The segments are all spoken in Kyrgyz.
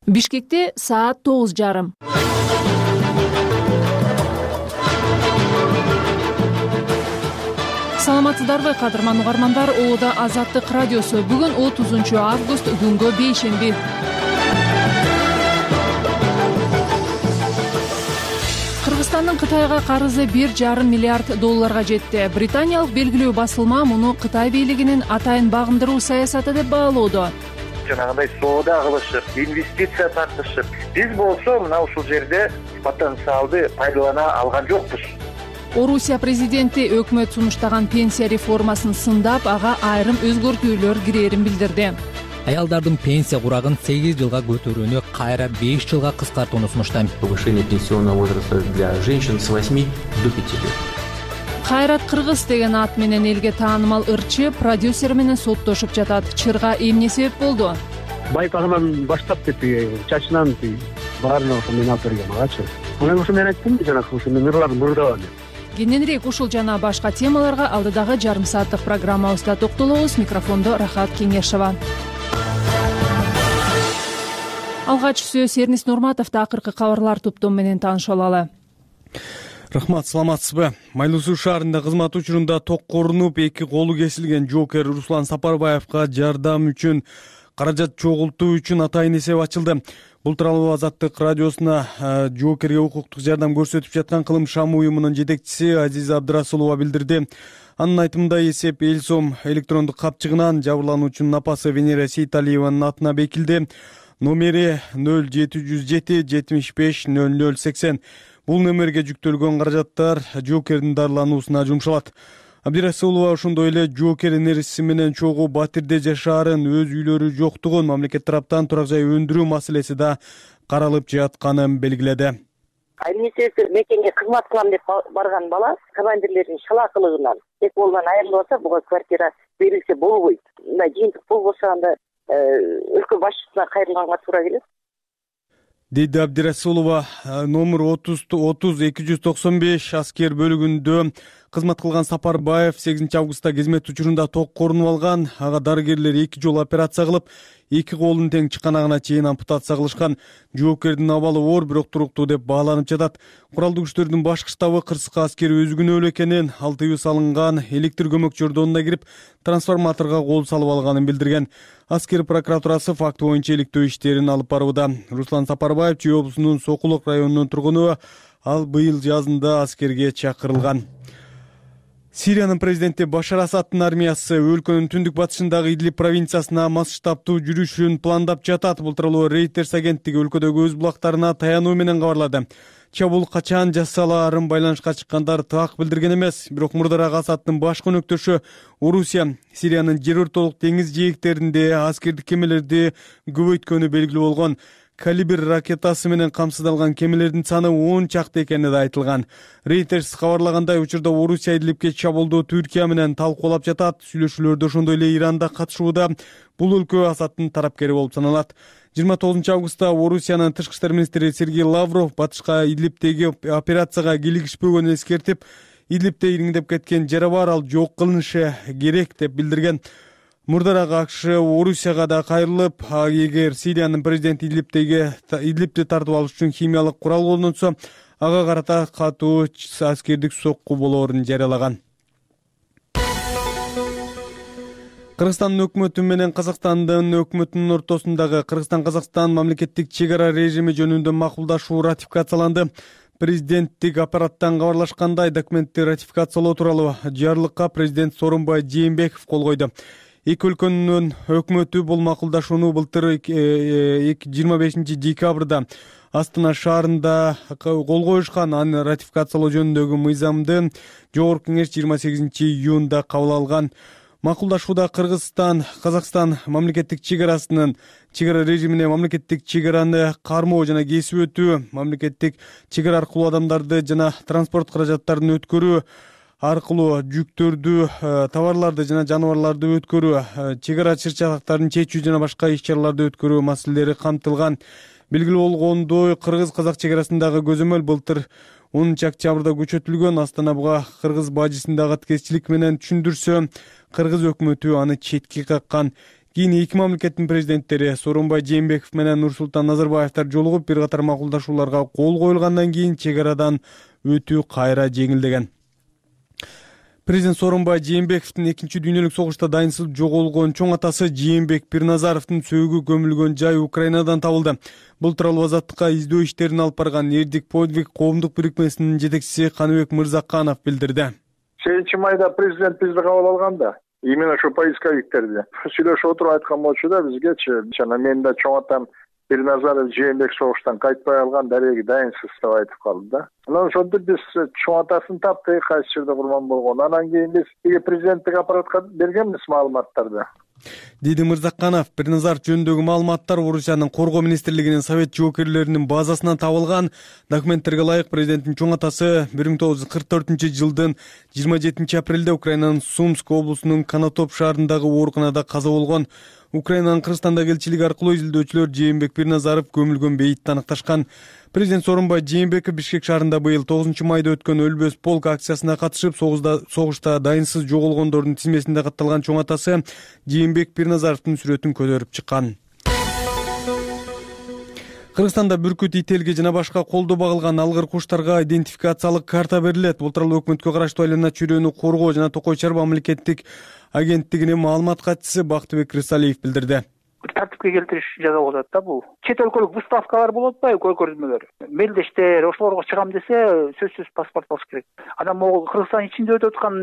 Бишкекте саат 9:30. Саламатсыздарбы, кадырман угармандар? Оода Азаттык радиосу. Бүгүн 30 август, күнгө бейшемби. Кыргызстандын Кытайга карызы 1,5 миллиард долларга жетти. Британиялык белгилүү басылма муну Кытай бийлигинин атайын багындыруу саясаты деп баалоодо. Жанагындай соода кылышып, инвестиция тартышып, биз болсо мына ушул жерде потенциалды пайдалана алган жокпуз. Орусия президенти өкмөт сунуштаган пенсия реформасын сындап, ага айрым өзгөртүүлөр кирээрин билдирди. Аялдардын пенсия курагын 8 жылга көтөрүүнү кайра 5 жылга кыскартууну сунуштайм. Повышение пенсионного возраста для женщин с 8 до 5 лет. Кайрат Кыргыз деген ат менен элге таанымал ырчы продюсер менен соттошуп жатат. Чырга эмне себеп болду? Байпагынан баштап чачынан баарына ошо мен алып берген агачы. Мен ошо мен айттым жанагы ошо мен ырларды мурдабам. Кененирээк ушул жана башка темаларга алдыдагы жарым сааттык программабызда токтолобуз. Микрофондо Рахат Кеңешова. Алгач сөз Эрнис Нурматовду акыркы кабарлар топтому менен таанышып алалы. Рахмат, саламатсызбы? Майлуу Суу шаарында кызмат учурунда токко урунуп, эки колу кесилген жоокер Руслан Сапарбаевга жардам үчүн каражат чогултуу үчүн атайын эсеп ачылды. Бул тууралуу Азаттык радиосуна жоокерге укуктук жардам көрсөтүп жаткан Кылым Шам уюмунун жетекчиси Азиза Абдырасулова билдирди. Анын айтымында эсеп эл сом электрондук капчыгынан жабырлануучунун апасы Венера Сейталиеванын атына бекилди. Номери 0707 75 0080. Бул номерге жүктөлгөн каражаттар жоокердин дарылануусуна жумшалат. Абдырасулова ошондой эле жоокер энериси менен чогуу Батирде жашаарын, өз үйлөрү жоктугун, мамлекет тараптан турак жай өндүрүү маселеси да каралып жатканын белгиледи. Эмнесиси мекенге кызмат кылам деп барган бала командирлердин шалаакылыгынан эки колунан айрылып атса, буга квартира берилсе болбойт. Мындай жыйынтык пул болсо анда өлкө башчысына кайрылганга туура келет, деди Абдырасулова. Номер 30-295 аскер бөлүгүндө кызмат кылган Сапарбаев 8 августта кызмет учурунда токко урунуп алган. Ага дарыгерлер 2 жолу операция кылып, эки колунун тең чыканагына чейин ампутация кылышкан. Жоокердин абалы оор, бирок туруктуу деп бааланып жатат. Куралдуу күчтөрдүн башкы штабы кырсыкка аскер өзгөнөлүү экенин, ал тыюу салынган электр көмөк жордонуна кирип, трансформаторго кол салып алганын билдирген. Аскер прокуратурасы факт боюнча иликтөө иштерин алып барууда. Руслан Сапарбаев Чүй облусунун Сокулок районунун тургуну, ал быйыл жазында аскерге чакырылган. Сириянын президенти Башар Асаддын армиясы өлкөнүн түндүк батышындагы Идлиб провинциясына масштабтуу жүрүшүн пландап жатат. Бул тууралуу Reuters агенттиги өлкөдөгү өз булактарына таянуу менен кабарлады. Чабуул качан жасалаарын байланышка чыккандар так билдирген эмес. Бирок мурдараак Асаддын баш көнөктөшү Орусия Сириянын жер ортолук деңиз жээктеринде аскердик кемелерди көбөйткөнү белгилүү болгон. Калибр ракетасы менен камсыздалган кемелердин саны 10 чакты экени да айтылган. Reuters кабарлагандай, учурда Орусия Идлибке чабуулду Түркия менен талкуулап жатат. Сүйлөшүүлөрдө ошондой эле Иран да катышууда. Бул өлкө Асаддын тарапкери болуп саналат. 29 августта Орусиянын тышкы иштер министри Сергей Лавров батышка Идлибтеги операцияга кийлигишпөгөнүн эскертип, Идлибте ириңдеп кеткен жара бар, ал жок кылынышы керек деп билдирген. Мурдараак АКШ Орусияга да кайрылып, эгер Сириянын президенти Идлибти тартып алыш үчүн химиялык курал колдонсо, ага карата катуу аскердик сокку болоорун жарыялаган. Кыргызстандын өкмөтү менен Казакстандын өкмөтүнүн ортосундагы Кыргызстан-Казакстан мамлекеттик чек ара режими жөнүндө макулдашуу ратификацияланды. Президенттик аппараттан кабарлашкандай, документти ратификациялоо тууралуу жарлыкка президент Сооронбай Жээнбеков кол койду. Эки өлкөнүн өкмөтү бул макулдашууну былтыр 25 декабрда Астана шаарында кол коюшкан. Аны ратификациялоо жөнүндөгү мыйзамды Жогорку кеңеш 28 июнда кабыл алган. Макулдашууда Кыргызстан, Казакстан мамлекеттик чек арасынын чек ара режимине мамлекеттик чек араны кармоо жана кесип өтүү, мамлекеттик чек ара аркылуу адамдарды жана транспорт каражаттарын өткөрүү аркылуу жүктөрдү, товарларды жана жаныбарларды өткөрүү, чек ара чыр-чатактарын чечүү жана башка иш-чараларды өткөрүү маселелери камтылган. Белгилүү болгондой, кыргыз-казак чек арасындагы көзөмөл былтыр 10 октябрда көчөтүлгөн. Астана буга кыргыз бажысындагы тескечилик менен түшүндүрсө, кыргыз өкмөтү аны четке каккан. Кийин эки мамлекеттин президенттери Сооронбай Жээнбеков менен Нурсултан Назарбаевтер жолугуп бир катар макулдашууларга кол коюлгандан кийин чек арадан өтүү кайра жеңилдеген. Президент Сооронбай Жээнбековдун Экинчи дүйнөлүк согушта дайынсыз жоголгон чоң атасы Жээнбек Бирназаровдун сөөгү көмүлгөн жай Украинадан табылды. Бул тууралуу Азаттыкка издөө иштерин алып барган Эрдик подвиг коомдук бирикмесинин жетекчиси Каныбек Мырзаканов билдирди. 8 майда президент бизди кабыл алганда именно ошо поисковиктерди сүйлөшүп отуруп айткан болчу да бизгечи. Жана мен да чоң атам Бирназаров Жээнбек согуштан кайтпай алган дареги дайынсыз деп айтып калды да. Анан ошентип биз чоң атасын таптык, кайсы жерде курман болгон. Анан кийин биз президенттик аппаратка бергенбиз маалыматтарды. Деди Мырзаканов, Бирназаров жөнүндөгү маалыматтар Орусиянын коргоо министрлигинин совет жоокерлеринин базасынан табылган. Документтерге ылайык президенттин чоң атасы 1944-жылдын 27 апрелде Украинанын Сумск облусунун Конотоп шаарындагы ооруканада каза болгон. Украинанын Кыргызстандагы элчилиги аркылуу изилдөөчүлөр Жээнбек Бирназаров көмүлгөн бейитти аныкташкан. Президент Сооронбай Жээнбеков Бишкек шаарында быйыл 9 майда өткөн Өлбөс полк акциясына катышып, согушта дайынсыз жоголгондордун тизмесинде катталган чоң атасы Жээнбек Бирназаровдун сүрөтүн көтөрүп чыккан. Кыргызстанда бүркүт, ителге жана башка колдо багылган алгыр куштарга идентификациялык карта берилет. Бул тууралуу өкмөткө караштуу айлана чөйрөнү коргоо жана токой чарба мамлекеттик агенттигинин маалымат катчысы Бактыбек Рысалиев билдирди. Тартипке келтириш жасап атат да бул. Чет өлкөлүк выставкалар болот атпайбы, көргөзмөлөр. Мелдештер ошолорго чыгам десе, сөзсүз паспорт болуш керек. Анан могул Кыргызстан ичинде өтүп аткан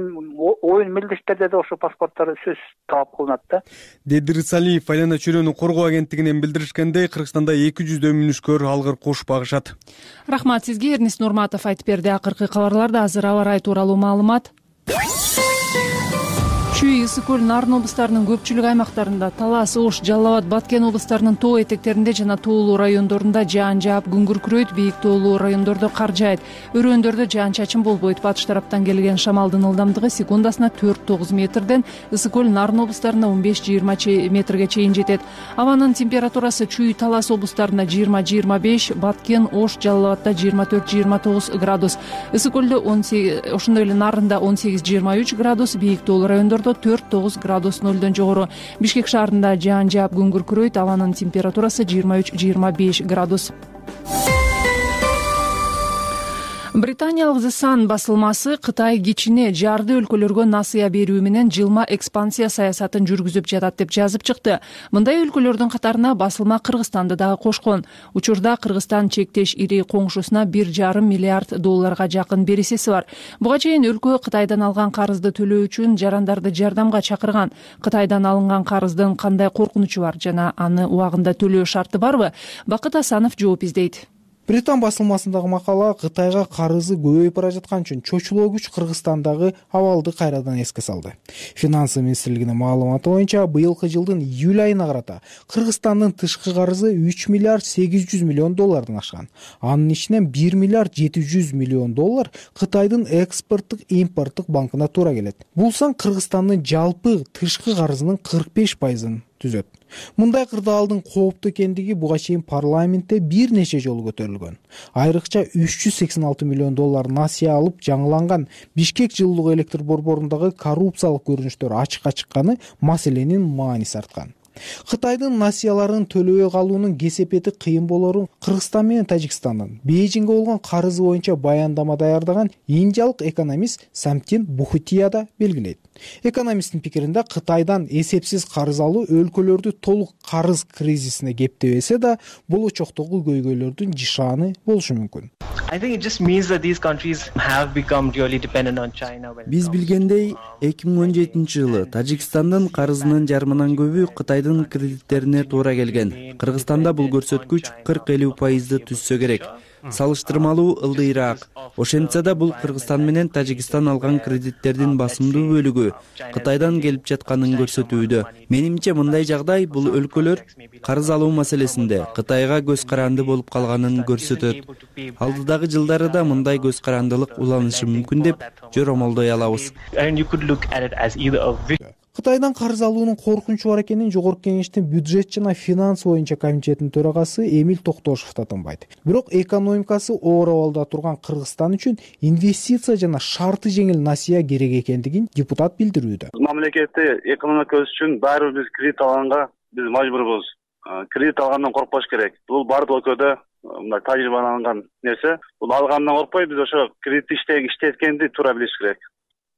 оюн мелдештерде да ошо паспорттор сөз талап кылынат да. Деди Рысалиев айлана чөйрөнү коргоо агенттигинен билдиришкендей, Кыргызстанда 200 мүнүшкөр алгыр куш багышат. Рахмат сизге, Эрнис Нурматов айтып берди. Акыркы кабарларда азыр аба ырайы тууралуу маалымат. Чүй, Ысык көл, Нарын облустарынын көпчүлүк аймактарында, Талас, Ош, Жалал Абад, Баткен облустарынын тоо этектеринде жана тоолуу райондорунда жаан жаап, күн күркүрөйт, бийик тоолуу райондордо кар жаайт. Өрөөндөрдө жаан-чачын болбойт. Батыш тараптан келген шамалдын ылдамдыгы секундасына 4-9 метрден, Ысык көл, Нарын облустарында 15-20 метрге чейин жетет. Абанын температурасы Чүй, Талас облустарында 20-25, Баткен, Ош, Жалал Абадда 24-29 градус. Ысык көлдө 18, ошондой эле Нарында 18-23 градус, бийик тоолуу райондордо 4-9 градус нөлдөн жогору. Бишкек шаарында жаан жаап, күн күркүрөйт, абанын температурасы 23-25 градус. Британиялык The Sun басылмасы Кытай кичине жарды өлкөлөргө насыя берүү менен жылма экспансия саясатын жүргүзүп жатат деп жазып чыкты. Мындай өлкөлөрдүн катарына басылма Кыргызстанды дагы кошкон. Учурда Кыргызстан чектеш ири коңшусуна $1,5 миллиард жакын бересеси бар. Буга чейин өлкө Кытайдан алган карызды төлөө үчүн жарандарды жардамга чакырган. Кытайдан алынган карыздын кандай коркунучу бар жана аны убагында төлөө шарты барбы? Бакыт Асанов жооп издейт. Британ басылмасындагы макала Кытайга карызы көбөйүп бара жаткан үчүн чочулоо күч Кыргызстандагы абалды кайрадан эске салды. Финансы министрлигинин маалыматы боюнча быйылкы жылдын июль айына карата Кыргызстандын тышкы карызы $3 миллиард 800 миллион ашкан. Анын ичинен $1 миллиард 700 миллион Кытайдын экспорттук импорттук банкына туура келет. Бул сан Кыргызстандын жалпы тышкы карызынын 45%-ын түзөт. Мындай кырдаалдын кооптуу экендиги буга чейин парламентте бир нече жолу көтөрүлгөн. Айрыкча $386 миллион насыя алып жаңыланган Бишкек жылуулук электр борборундагы коррупциялык көрүнүштөр ачыкка чыкканы маселенин мааниси арткан. Кытайдын насыяларын төлөбөй калуунун кесепети кыйын болорун Кыргызстан менен Тажикстандын Бейжиңге болгон карызы боюнча баяндама даярдаган индиялык экономист Самтин Бухутия да белгилейт. Экономисттин пикиринде Кытайдан эсепсиз карыз алуу өлкөлөрдү толук карыз кризисине кептебесе да, болочоктогу көйгөйлөрдүн жишааны болушу мүмкүн. Биз билгендей, 2017 жылы Тажикстандын карызынын жарымынан көбү Кытайдын кредиттерине туура келген. Кыргызстанда бул көрсөткүч 40-50% түзсө керек. Салыштырмалуу ылдыйраак. Ошентсе да бул Кыргызстан менен Тажикстан алган кредиттердин басымдуу бөлүгү Кытайдан келип жатканын көрсөтүүдө. Менимче мындай жагдай бул өлкөлөр карыз алуу маселесинде Кытайга көз каранды болуп калганын көрсөтөт. Алдыдагы жылдары да мындай көз карандылык уланышы мүмкүн деп жоромолдой алабыз. Кытайдан карыз алуунун коркунучу бар экенин Жогорку Кеңештин бюджет жана финанс боюнча комитетинин төрагасы Эмиль Токтошев да тынбайт. Бирок экономикасы оор абалда турган Кыргызстан үчүн инвестиция жана шарты жеңил насыя керек экендигин депутат билдирүүдө. Мамлекетти экономика өсүш үчүн баары биз кредит алганга биз мажбурбуз. Кредит алгандан коркпош керек. Бул бардык өлкөдө мындай тажрыйбаланган нерсе. Бул алгандан коркпой биз ошо кредит иштеткенди туура билиш керек.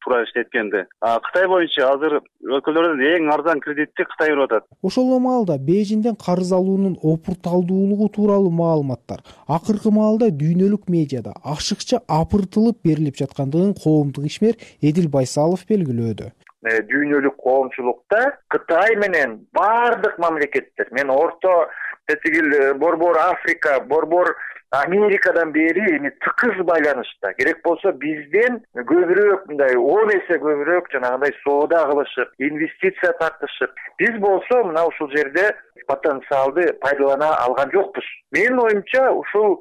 Туура иштеткенди. Кытай боюнча азыр өлкөлөрдөн эң арзан кредитти Кытай берип атат. Ошол маалда Бейжиңден карыз алуунун опурталдуулугу тууралуу маалыматтар акыркы маалда дүйнөлүк медиада ашыкча апыртылып берилип жаткандыгын коомдук ишмер Эдил Байсалов белгилөөдө. Дүйнөлүк коомчулукта Кытай менен бардык мамлекеттер, мен орто тетигил борбор Африка, борбор Америкадан бери тыкыз байланышта. Керек болсо бизден көбүрөөк, мындай 10 эсе көбүрөөк жанагындай соода кылышып, инвестиция тартышып. Биз болсо мына ушул жерде потенциалды пайдалана алган жокпуз. Менин оюмча ушул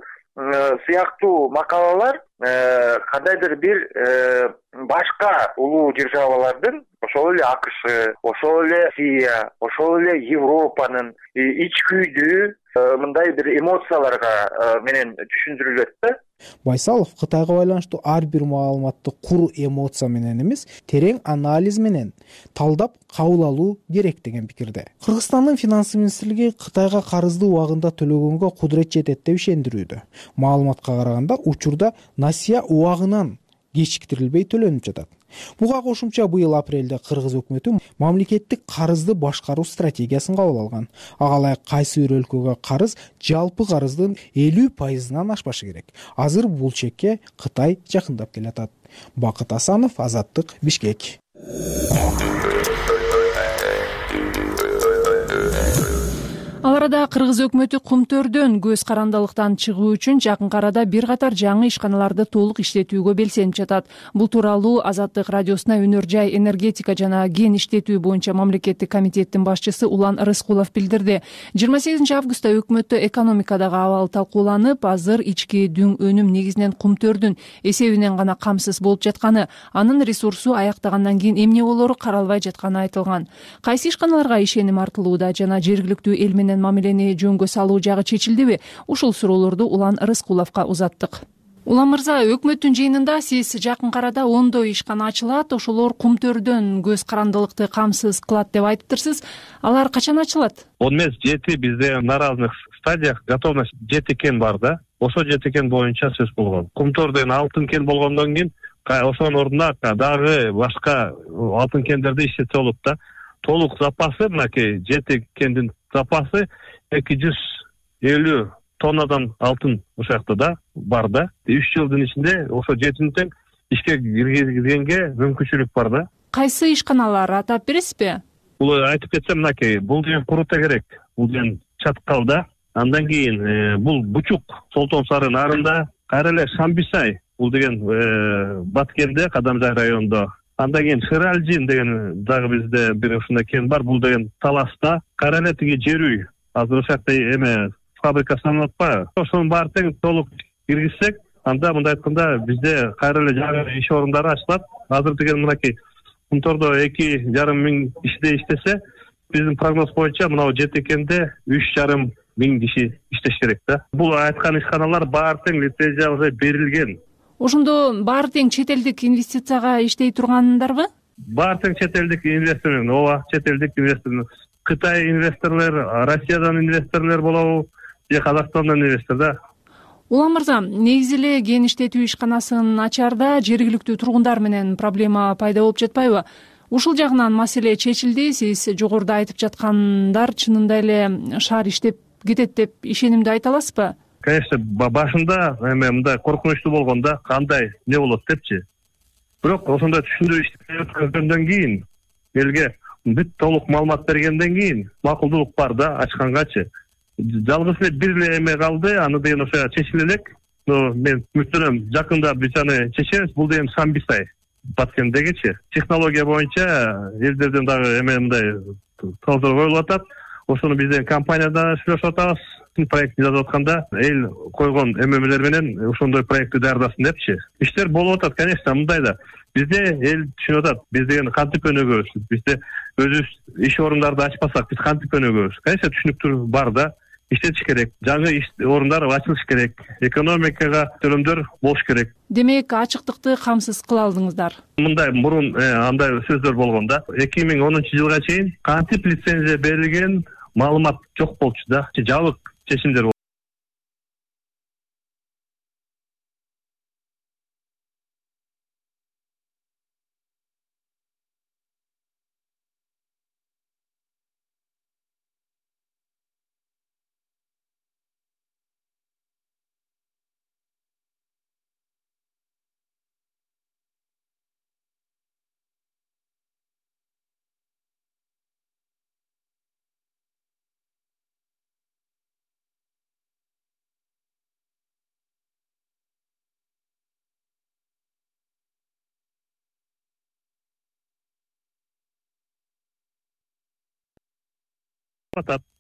сыяктуу макалалар кандайдыр бир башка улуу державалардын, ошол эле АКШ, ошол эле Россия, ошол эле Европанын ичкүйдүү мындай бир эмоцияларга менен түшүндүрүлөт да. Байсалов Кытайга байланыштуу ар бир маалыматты кур эмоция менен эмес, терең анализ менен талдап кабыл алуу керек деген пикирде. Кыргызстандын финанс министрлиги Кытайга карызды убагында төлөгөнгө кудурет жетет деп ишендирүүдө. Маалыматка караганда учурда насыя убагынан кечиктирилбей төлөнүп жатат. Буга кошумча быйыл апрелде Кыргыз өкмөтү мамлекеттик карызды башкаруу стратегиясын кабыл алган. Ага ылайык кайсы бир өлкөгө карыз жалпы карыздын 50%-нан ашпашы керек. Азыр бул чекке Кытай жакындап келатат. Бакыт Асанов, Азаттык, Бишкек. Ал арада Кыргыз өкмөтү Кумтөрдөн көз карандылыктан чыгуу үчүн жакынкы арада бир катар жаңы ишканаларды толук иштетүүгө белсенип жатат. Бул тууралуу Азаттык радиосуна Өнөр жай энергетика жана кен иштетүү боюнча мамлекеттик комитеттин башчысы Улан Рыскулов билдирди. 28 августта өкмөттө экономикадагы абал талкууланып, азыр ички дүң өнүм негизинен Кумтөрдүн эсебинен гана камсыз болуп жатканы, анын ресурсу аяктагандан кийин эмне болору каралбай жатканы айтылган. Кайсы ишканаларга ишеним артылууда жана жергиликтүү эл менен мамилени жөнгө салуу жагы чечилдиби? Ушул суроолорду Улан Рыскуловго узаттык. Улан мырза, өкмөттүн жыйынында сиз жакынкы арада ондой ишкана ачылат, ошолор Кумтөрдөн көз карандылыкты камсыз кылат деп айтыптырсыз. Алар качан ачылат? 17 бизде на разных стадиях готовность жети кен бар да. Ошо жети кен боюнча сөз болгон. Кумтөрдөн алтын кен болгондон кийин ошонун ордуна дагы башка алтын кендерди иштетсе болот да. Толук запасы мынакей жети кендин запасы 250 тоннадан алтын ошол жакта да бар да. 3 жылдын ичинде ошо жетини тең ишке киргизгенге мүмкүнчүлүк бар да. Кайсы ишканалар атап бересизби? Бул айтып кетсем мынакей, бул деген Курута керек, бул деген Чаткалда, андан кийин бул Бучук, Солтон Сары нарында, кайра эле Шамбисай, бул деген Баткенде, Кадамжай районунда. Андан кийин Шыралжин деген дагы бизде бир ушундай кен бар, бул деген Таласта, кайра эле тиги Жерүй, азыр ошол жакта эме фабрика салынып атпайбы? Ошонун баары тең толук киргизсек, анда мындай айтканда бизде кайра эле жаңы иш орундары ачылат. Азыр деген мынакей Кумтөрдө 2,5 миң кишиде иштесе, биздин прогноз боюнча мынау жети кенде 3,5 миң киши иштеш керек да. Бул айткан ишканалар баары тең лицензия уже берилген. Ошондо баары тең чет элдик инвестицияга иштей тургандарбы? Баары тең чет элдик инвестор, ооба, чет элдик инвестор. Кытай инвесторлор, Россиядан инвесторлор болобу, же Казакстандан инвестор да. Улан мырза, негизи эле кен иштетүү ишканасын ачаарда жергиликтүү тургундар менен проблема пайда болуп жатпайбы? Ушул жагынан маселе чечилди. Сиз жогоруда айтып жаткандар чынында эле шаар иштеп кетет деп ишенимди айта аласызбы? Конечно, башында эме мындай коркунучтуу болгондо кандай не болот депчи. Бирок ошондой түшүндүрүү иштегөндөн кийин элге бүт толук маалымат бергенден кийин макулдуулук бар да ачкангачы. Жалгыз эле бир эле эме калды, аны деген ошо чечиле элек. Мен үмүттөнөм, жакында биз аны чечебиз. Бул деген Шамбисай, Баткендегичи. Технология боюнча элдерден дагы эме мындай талаптар коюлуп атат. Ошону бизден компанияда сүйлөшүп атабыз. Проектти жазып атканда эл койгон эмемелер менен ошондой проектти даярдасын депчи. Иштер болуп атат, конечно, мындай да. Бизде эл түшүнүп атат. Биз деген кантип өнүгөбүз? Бизде өзүбүз иш орундарды ачпасак биз кантип өнүгөбүз? Конечно, түшүнүктүү бар да. Иштетиш керек, жаңы иш орундар ачылыш керек, экономикага төлөмдөр болуш керек. Демек, ачыктыкты камсыз кыла алдыңыздар. Мындай мурун андай сөздөр болгон да. 2010-жылга чейин кантип лицензия берилген маалымат жок болчу да. Жабык чечимдер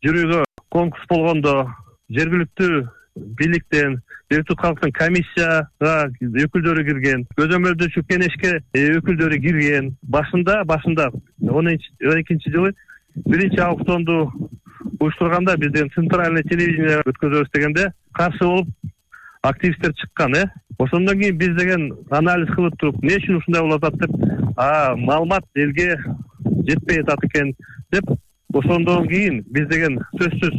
жүрүүгө конкурс болгондо жергиликтүү бийликтен, жергиликтүү калктын комиссияга өкүлдөрү кирген, көзөмөлдөөчү кеңешке өкүлдөрү кирген. Башында 12-жылы биринчи аукционду уюштурганда бизден центральный телевидение өткөзөбүз дегенде каршы болуп активисттер чыккан. Ошондон кийин биз деген анализ кылып туруп, эмне үчүн ушундай болуп атат деп, маалымат элге жетпей атат экен деп, ошондон кийин биз деген сөзсүз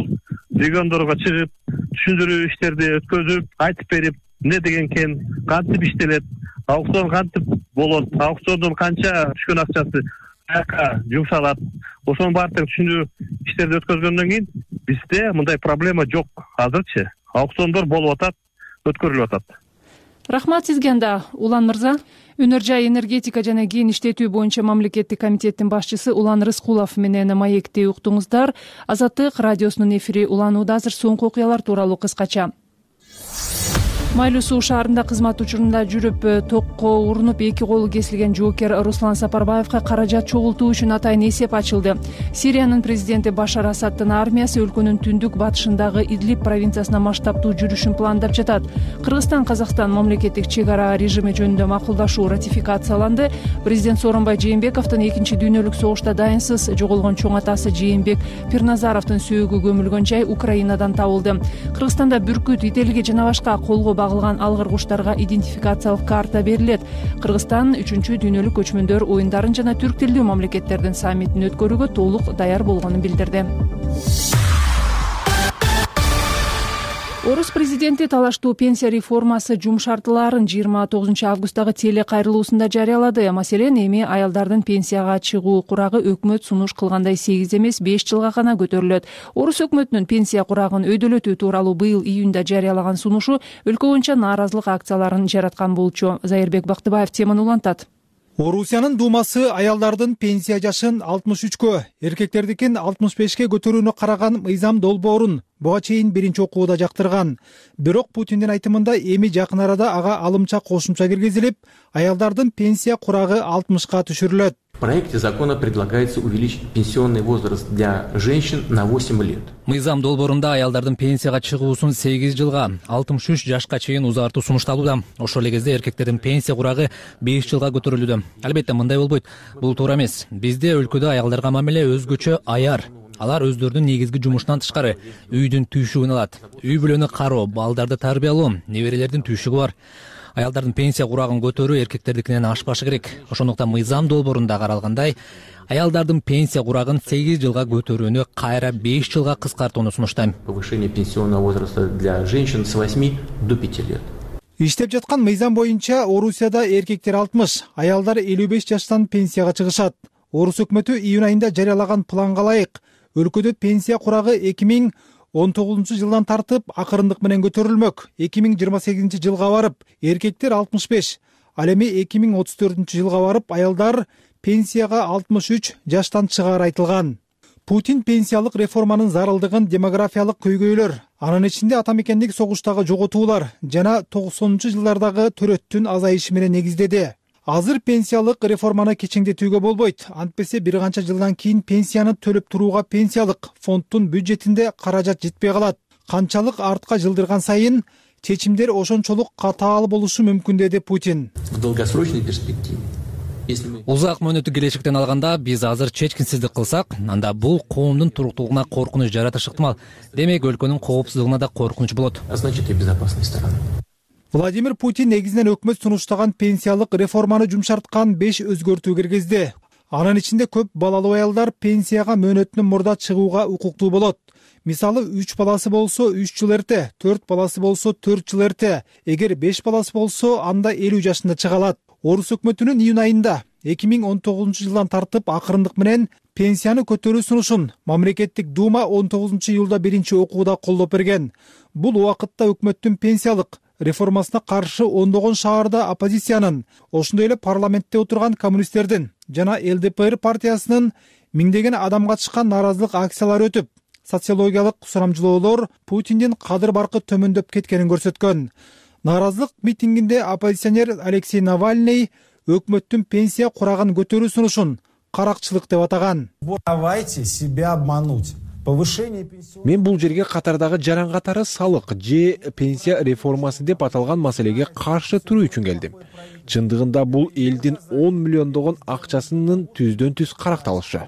региондорго чыгып, түшүндүрүү иштерди өткөзүп, айтып берип, эмне деген экен, кантип иштелет, аукцион кантип болот, аукциондон канча түшкөн акчасы каяка жумшалат. Ошонун баардыгын түшүндүрүү иштерди өткөзгөндөн кийин бизде мындай проблема жок. Азырчы аукциондор болуп атат, өткөрүлүп атат. Рахмат сизге анда, Улан мырза. Өнөр жай энергетика жана кийин иштетүү боюнча мамлекеттик комитеттин башчысы Улан Рыскулов менен маекти уктуңуздар. Азаттык радиосунун эфири уланууда. Азыр соңку окуялар тууралуу кыскача. Майлуу Суу шаарында кызмат учурунда жүрүп токко урунуп 2 колу кесилген жоокер Руслан Сапарбаевга каражат чогултуу үчүн атайын эсеп ачылды. Сириянын президенти Башар Асаддын армиясы өлкөнүн түндүк батышындагы Идлиб провинциясына масштабтуу жүрүшүн пландап жатат. Кыргызстан-Казакстан мамлекеттик чек ара режими жөнүндө макулдашуу ратификацияланды. Президент Сооронбай Жээнбековдун 2-дүйнөлүк согушта дайынсыз жоголгон чоң атасы Жээнбек Пирназаровдун сөөгү көмүлгөн жай Украинадан табылды. Кыргызстанда бүркүт, ителги жана башка колго багылган алгыр куштарга идентификациялык карта берилет. Кыргызстан 3-дүйнөлүк көчмөндөр оюндарын жана түрк тилдүү мамлекеттердин саммитин өткөрүүгө толук даяр болгонун билдирди. Орус президенти талаштуу пенсия реформасы жум шартталарын 29 августтагы теле кайрылуусунда жарыялады. Маселен, эми аялдардын пенсияга чыгуу курагы өкмөт сунуш кылгандай 8 эмес 5 жылга гана көтөрүлөт. Орус өкмөтүнүн пенсия курагын өйдөлөтүү тууралуу быйыл июнда жарыялаган сунушу өлкө боюнча нааразылык акцияларын жараткан болчу. Зайырбек Бактыбаев теманы улантат. Орусиянын Думасы аялдардын пенсия жашын 63кө, эркектердикин 65ке көтөрүүнү караган мыйзам долбоорун буга чейин биринчи окууда жактырган. Бирок Путиндин айтымында эми жакын арада ага алымча кошумча киргизилип, аялдардын пенсия курагы 60ка түшүрүлөт. В проекте закона предлагается увеличить пенсионный возраст для женщин на 8 лет. Мыйзам долбоорунда аялдардын пенсияга чыгуусун 8 жылга, 63 жашка чейин узартуу сунушталууда. Ошол эле кезде эркектердин пенсия курагы 5 жылга көтөрүлүүдө. Албетте мындай болбойт. Бул туура эмес. Бизде өлкөдө аялдарга мамиле өзгөчө аяр. Алар өздөрүнүн негизги жумушунан тышкары үйдүн түйшүгүн алат. Үй бүлөнү кароо, балдарды тарбиялоо, неберелердин түйшүгү бар. Аялдардын пенсия курагын көтөрүү эркектердикинен ашпашы керек. Ошондуктан мыйзам долбоорунда каралгандай, аялдардын пенсия курагын 8 жылга көтөрүүнү кайра 5 жылга кыскартууну сунуштайм. Повышение пенсионного возраста для женщин с 8 до 5 лет. Иштеп жаткан мыйзам боюнча Орусияда эркектер 60, аялдар 55 жаштан пенсияга чыгышат. Орус өкмөтү июнь айында жарыялаган планга ылайык өлкөдө пенсия курагы 2019 жылдан тартып акырындык менен көтөрүлмөк. 2028 жылга барып эркектер 65, ал эми 2034 жылга барып аялдар пенсияга 63 жаштан чыгаары айтылган. Путин пенсиялык реформанын зарылдыгын демографиялык көйгөйлөр, анын ичинде ата мекендик согуштагы жоготуулар жана 90-жылдардагы төрөттүн азайышы менен негиздеди. Азыр пенсиялык реформаны кечиңдетүүгө болбойт. Антпесе бир канча жылдан кийин пенсияны төлөп турууга пенсиялык фонддун бюджетинде каражат жетпей калат. Канчалык артка жылдырган сайын чечимдер ошончолук катаал болушу мүмкүн, деди Путин. В долгосрочной перспективе Узак мөөнөттүк келечектен алганда биз азыр чечкинсиздик кылсак, анда бул коомдун туруктуулугуна коркунуч жаратышы ыктымал. Демек өлкөнүн коопсуздугуна да коркунуч болот. Значит, и безопасной стороны. Владимир Путин негизинен өкмөт сунуштаган пенсиялык реформаны жумшарткан 5 өзгөртүү киргизди. Анын ичинде көп балалуу аялдар пенсияга мөөнөтүнөн мурда чыгууга укуктуу болот. Мисалы 3 баласы болсо 3 жыл эрте, 4 баласы болсо 4 жыл эрте, эгер 5 баласы болсо анда 50 жашында чыга алат. Орус өкмөтүнүн июнь айында 2019-жылдан тартып акырындык менен пенсияны көтөрүү сунушун мамлекеттик дума 19-июлда биринчи окууда колдоп берген. Бул убакытта өкмөттүн пенсиялык реформасына каршы ондогон шаарда оппозициянын, ошондой эле парламентте отурган коммунисттердин жана ЛДПР партиясынын миңдеген адам катышкан нааразылык акциялары өтүп, социологиялык сурамжылоолор Путиндин кадыр баркы төмөндөп кеткенин көрсөткөн. Нааразылык митингинде оппозиционер Алексей Навальный өкмөттүн пенсия курагын көтөрүү сунушун каракчылык деп атаган. Давайте себя обмануть. Мен бул жерге катардагы жаран катары салык же пенсия реформасы деп аталган маселеге каршы туруу үчүн келдим. Чындыгында бул элдин 10 миллиондогон акчасынын түздөн түз каракталышы.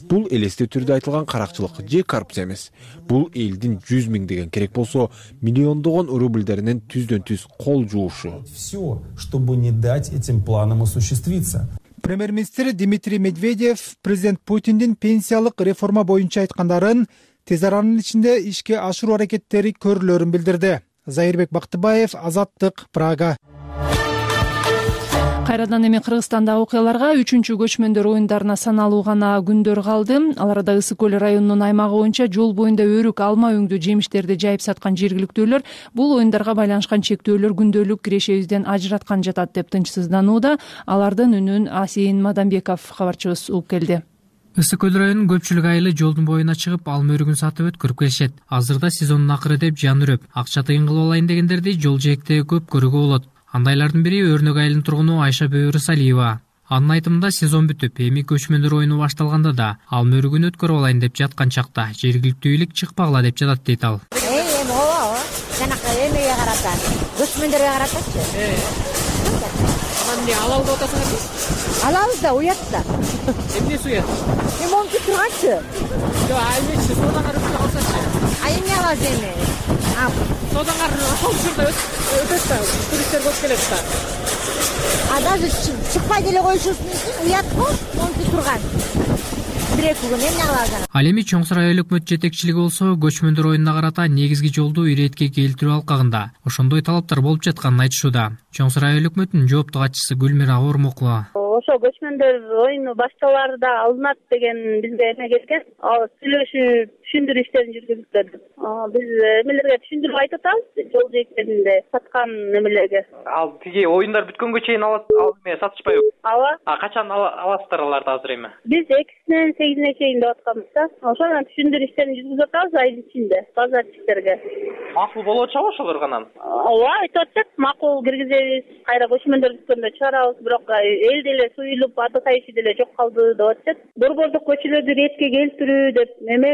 Бул элестүү түрдө айтылган каракчылык же коррупция эмес. Бул элдин 100 миңдеген керек болсо миллиондогон рубльдеринен түздөн түз кол жуушу. Все, чтобы не дать этим планам осуществиться. Премьер-министр Дмитрий Медведев президент Путиндин пенсиялык реформа боюнча айткандарын тез аранын ичинде ишке ашыруу аракеттери көрүлөрүн билдирди. Зайырбек Бактыбаев, Азаттык, Прага. Кайрадан эми Кыргызстандагы окуяларга 3-чү көчмөндөр оюндарына саналуу гана күндөр калды. Аларда Ысык көл районунун аймагы боюнча жол боюнда өрүк, алма өңдүү жемиштерди жайып саткан жергиликтүүлөр бул оюндарга байланышкан чектөөлөр күндөлүк кирешебизден ажыраткан жатат деп тынчсызданууда. Алардын үнүн Асейин Мадамбеков кабарчыбыз угуп келди. Ысык көл районунун көпчүлүк айылы жолдун боюна чыгып, алма өрүгүн сатып өткөрүп келишет. Азырда сезондун акыры деп жан үрөп, акча тыйын кылып алайын дегендерди жол жээктеги көп көрүүгө болот. Андайлардын бири Өрнөк айылынын тургуну Айша Бөйрүсалиева. Анын айтымында сезон бүтүп, эми көчмөндөр оюну башталганда да алма өрүгүн өткөрүп алайын деп жаткан чакта жергиликтүү бийлик чыкпагыла деп жатат дейт ал. Ооба, жанакы эмеге карата, көчмөндөргө каратачы. Анан алалы деп атасыңарбы? Алалы да, уят да. Эмнеси уят? Монки турганчы. Жок, аймечи содаңар өтүп калсачы. Эмне алат эми? Содаңар ошол өтөт да, туристтер көп келет да. Даже чыкпай деле коюшубуз мүмкүн, уят го, монки турган. Бир-эки күн эмне алат? Ал эми Чоң Сарай айыл өкмөт жетекчилиги болсо көчмөндөр оюнуна карата негизги жолду иретке келтирүү алкагында ошондой талаптар болуп жатканын айтышууда. Чоң Сарай айыл өкмөтүнүн жооптук катчысы Гүлмира Ормокова. Ошо көчмөндөр оюну башталаарда алынат деген бизге эме келген. Ал сүйлөшүү, түшүндүрүү иштерин жүргүзүптүр. Биз эмелерге түшүндүрүп айтып атабыз, жол жээктеринде саткан эмелерге. Ал тиги оюндар бүткөнгө чейин ал эме сатышпайбы? Ооба. Качан аласыздар аларды азыр эми? Биз 2-синен 8-ине чейин деп атканбыз да. Ошондон түшүндүрүү иштерин жүргүзүп атабыз айыл ичинде, базарчыларга. Макул болуп атышабы ошолор канан? Ооба, айтып атышат, макул киргизебиз, кайра көчмөндөр бүткөндө чыгарабыз, бирок эл деле суюлуп, атышайшы деле жок калды деп атышат. Борбордук көчөлөрдү ретке келтирүү деп эме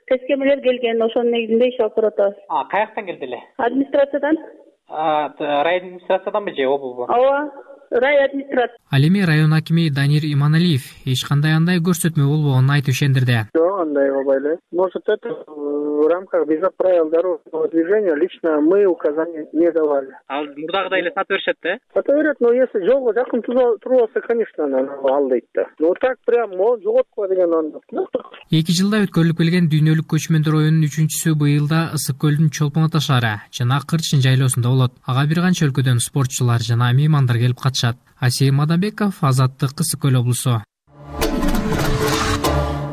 тескемелер келген, ошонун негизинде иш алып баратабыз. Каяктан келди эле? Администрациядан. Район администрацияданбы же облбу? Ооба. Рай администрация. Ал эми район акими Данир Иманалиев эч кандай андай көрсөтмө болбогонун айтып ишендирди. Жок, андай болбой эле. Может, это в рамках без правил дорожного движения лично мы указания не давали. Ал мурдагыдай эле сатып беришет да? Сатып берет, но если жолго жакын туруп алса, конечно, ал дейт да. Но так прям жоготкула деген анда. 2 жылда өткөрүлүп келген дүйнөлүк көчмөндөр оюнунун 3-чүсү быйылда Ысык көлдүн Чолпон ата шаары жана Кырчын жайлоосунда болот. Ага бир канча өлкөдөн спортчулар жана меймандар келип катышат. Асейин Мадамбеков, Азаттык, Ысык көл облусу.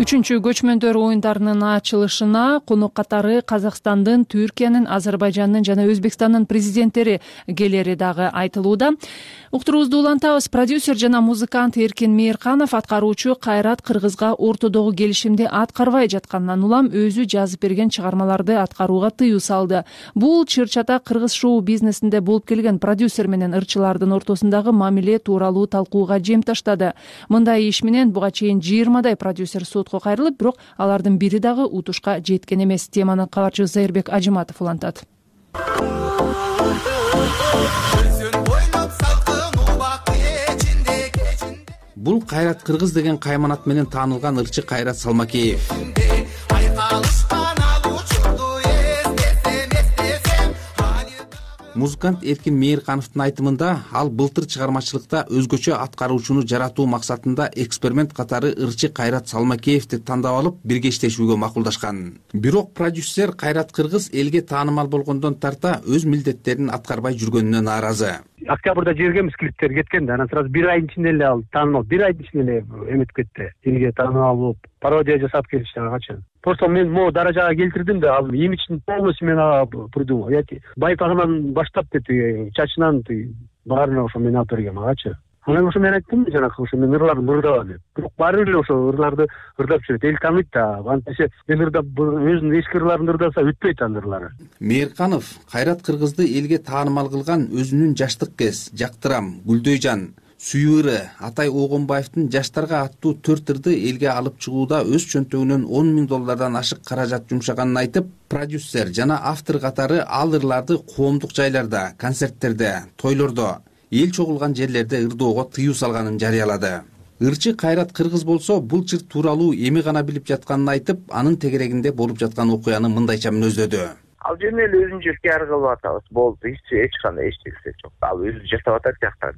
3-чү көчмөндөр оюндарынын ачылышына конок катары Казакстандын, Түркиянын, Азербайжандын жана Өзбекстандын президенттери келери дагы айтылууда. Уктуруубузду улантабыз. Продюсер жана музыкант Эркин Мейирханов аткаруучу Кайрат Кыргызга ортодогу келишимди аткарбай жаткандан улам өзү жазып берген чыгармаларды аткарууга тыюу салды. Бул чыр-чата кыргыз шоу бизнесинде болуп келген продюсер менен ырчылардын ортосундагы мамиле тууралуу талкууга жем таштады. Мындай иш менен буга чейин 20 продюсер сотко кайрылып, бирок алардын бири дагы утушка жеткен эмес. Теманы кабарчыбыз Зайырбек Ажыматов улантат. Бул Кайрат Кыргыз деген кайманат менен таанылган ырчы Кайрат Салмакеев. Музыкант Эркин Мейиркановдун айтымында, ал былтыр чыгармачылыкта өзгөчө аткаруучуну жаратуу максатында эксперимент катары ырчы Кайрат Салмакеевди тандап алып, бирге иштешүүгө макулдашкан. Бирок продюсер Кайрат Кыргыз элге таанымал болгондон тарта өз милдеттерин аткарбай жүргөнүнө нааразы. Октябрда жибергенбиз клиптер кеткен да, анан сразу бир айдын ичинде эле ал таанымал, бир айдын ичинде эле эметип кетти. Элге таанымал болуп, пародия жасап келишти агачы. Просто мен могу даражага келтирдим да, ал имиджин полностью мен придумал. Байпагынан баштап чачынан баарына ошо мен алып бергем агачы. Анан ошо мен айттым жанагы ошо мен ырларды мырдабам деп. Бирок баары эле ошо ырларды ырдап жүрөт. Эл тааныйт да. Антисе мен ырдап өзүнүн эски ырларын ырдаса өтпөйт анын ырлары. Мейирканов Кайрат Кыргызды элге таанымал кылган өзүнүн жаштык кез, Жактырам, Гүлдөйжан, Сүйүрү, Атай Огонбаевдин жаштарга аттуу 4 ырды элге алып чыгууда өз чөнтөгүнөн $10,000 ашык каражат жумшаганын айтып, продюсер жана автор катары ал ырларды коомдук жайларда, концерттерде, тойлордо, эл чогулган жерлерде ырдоого тыюу салганын жарыялады. Ырчы Кайрат Кыргыз болсо бул чыр тууралуу эми гана билип жатканын айтып, анын тегерегинде болуп жаткан окуяны мындайча мүнөздөдү. Ал жерде эле өзүнчө пиар кылып атабыз. Болду, эч кандай эчтеси жок. Ал өзү жасап атат жактан,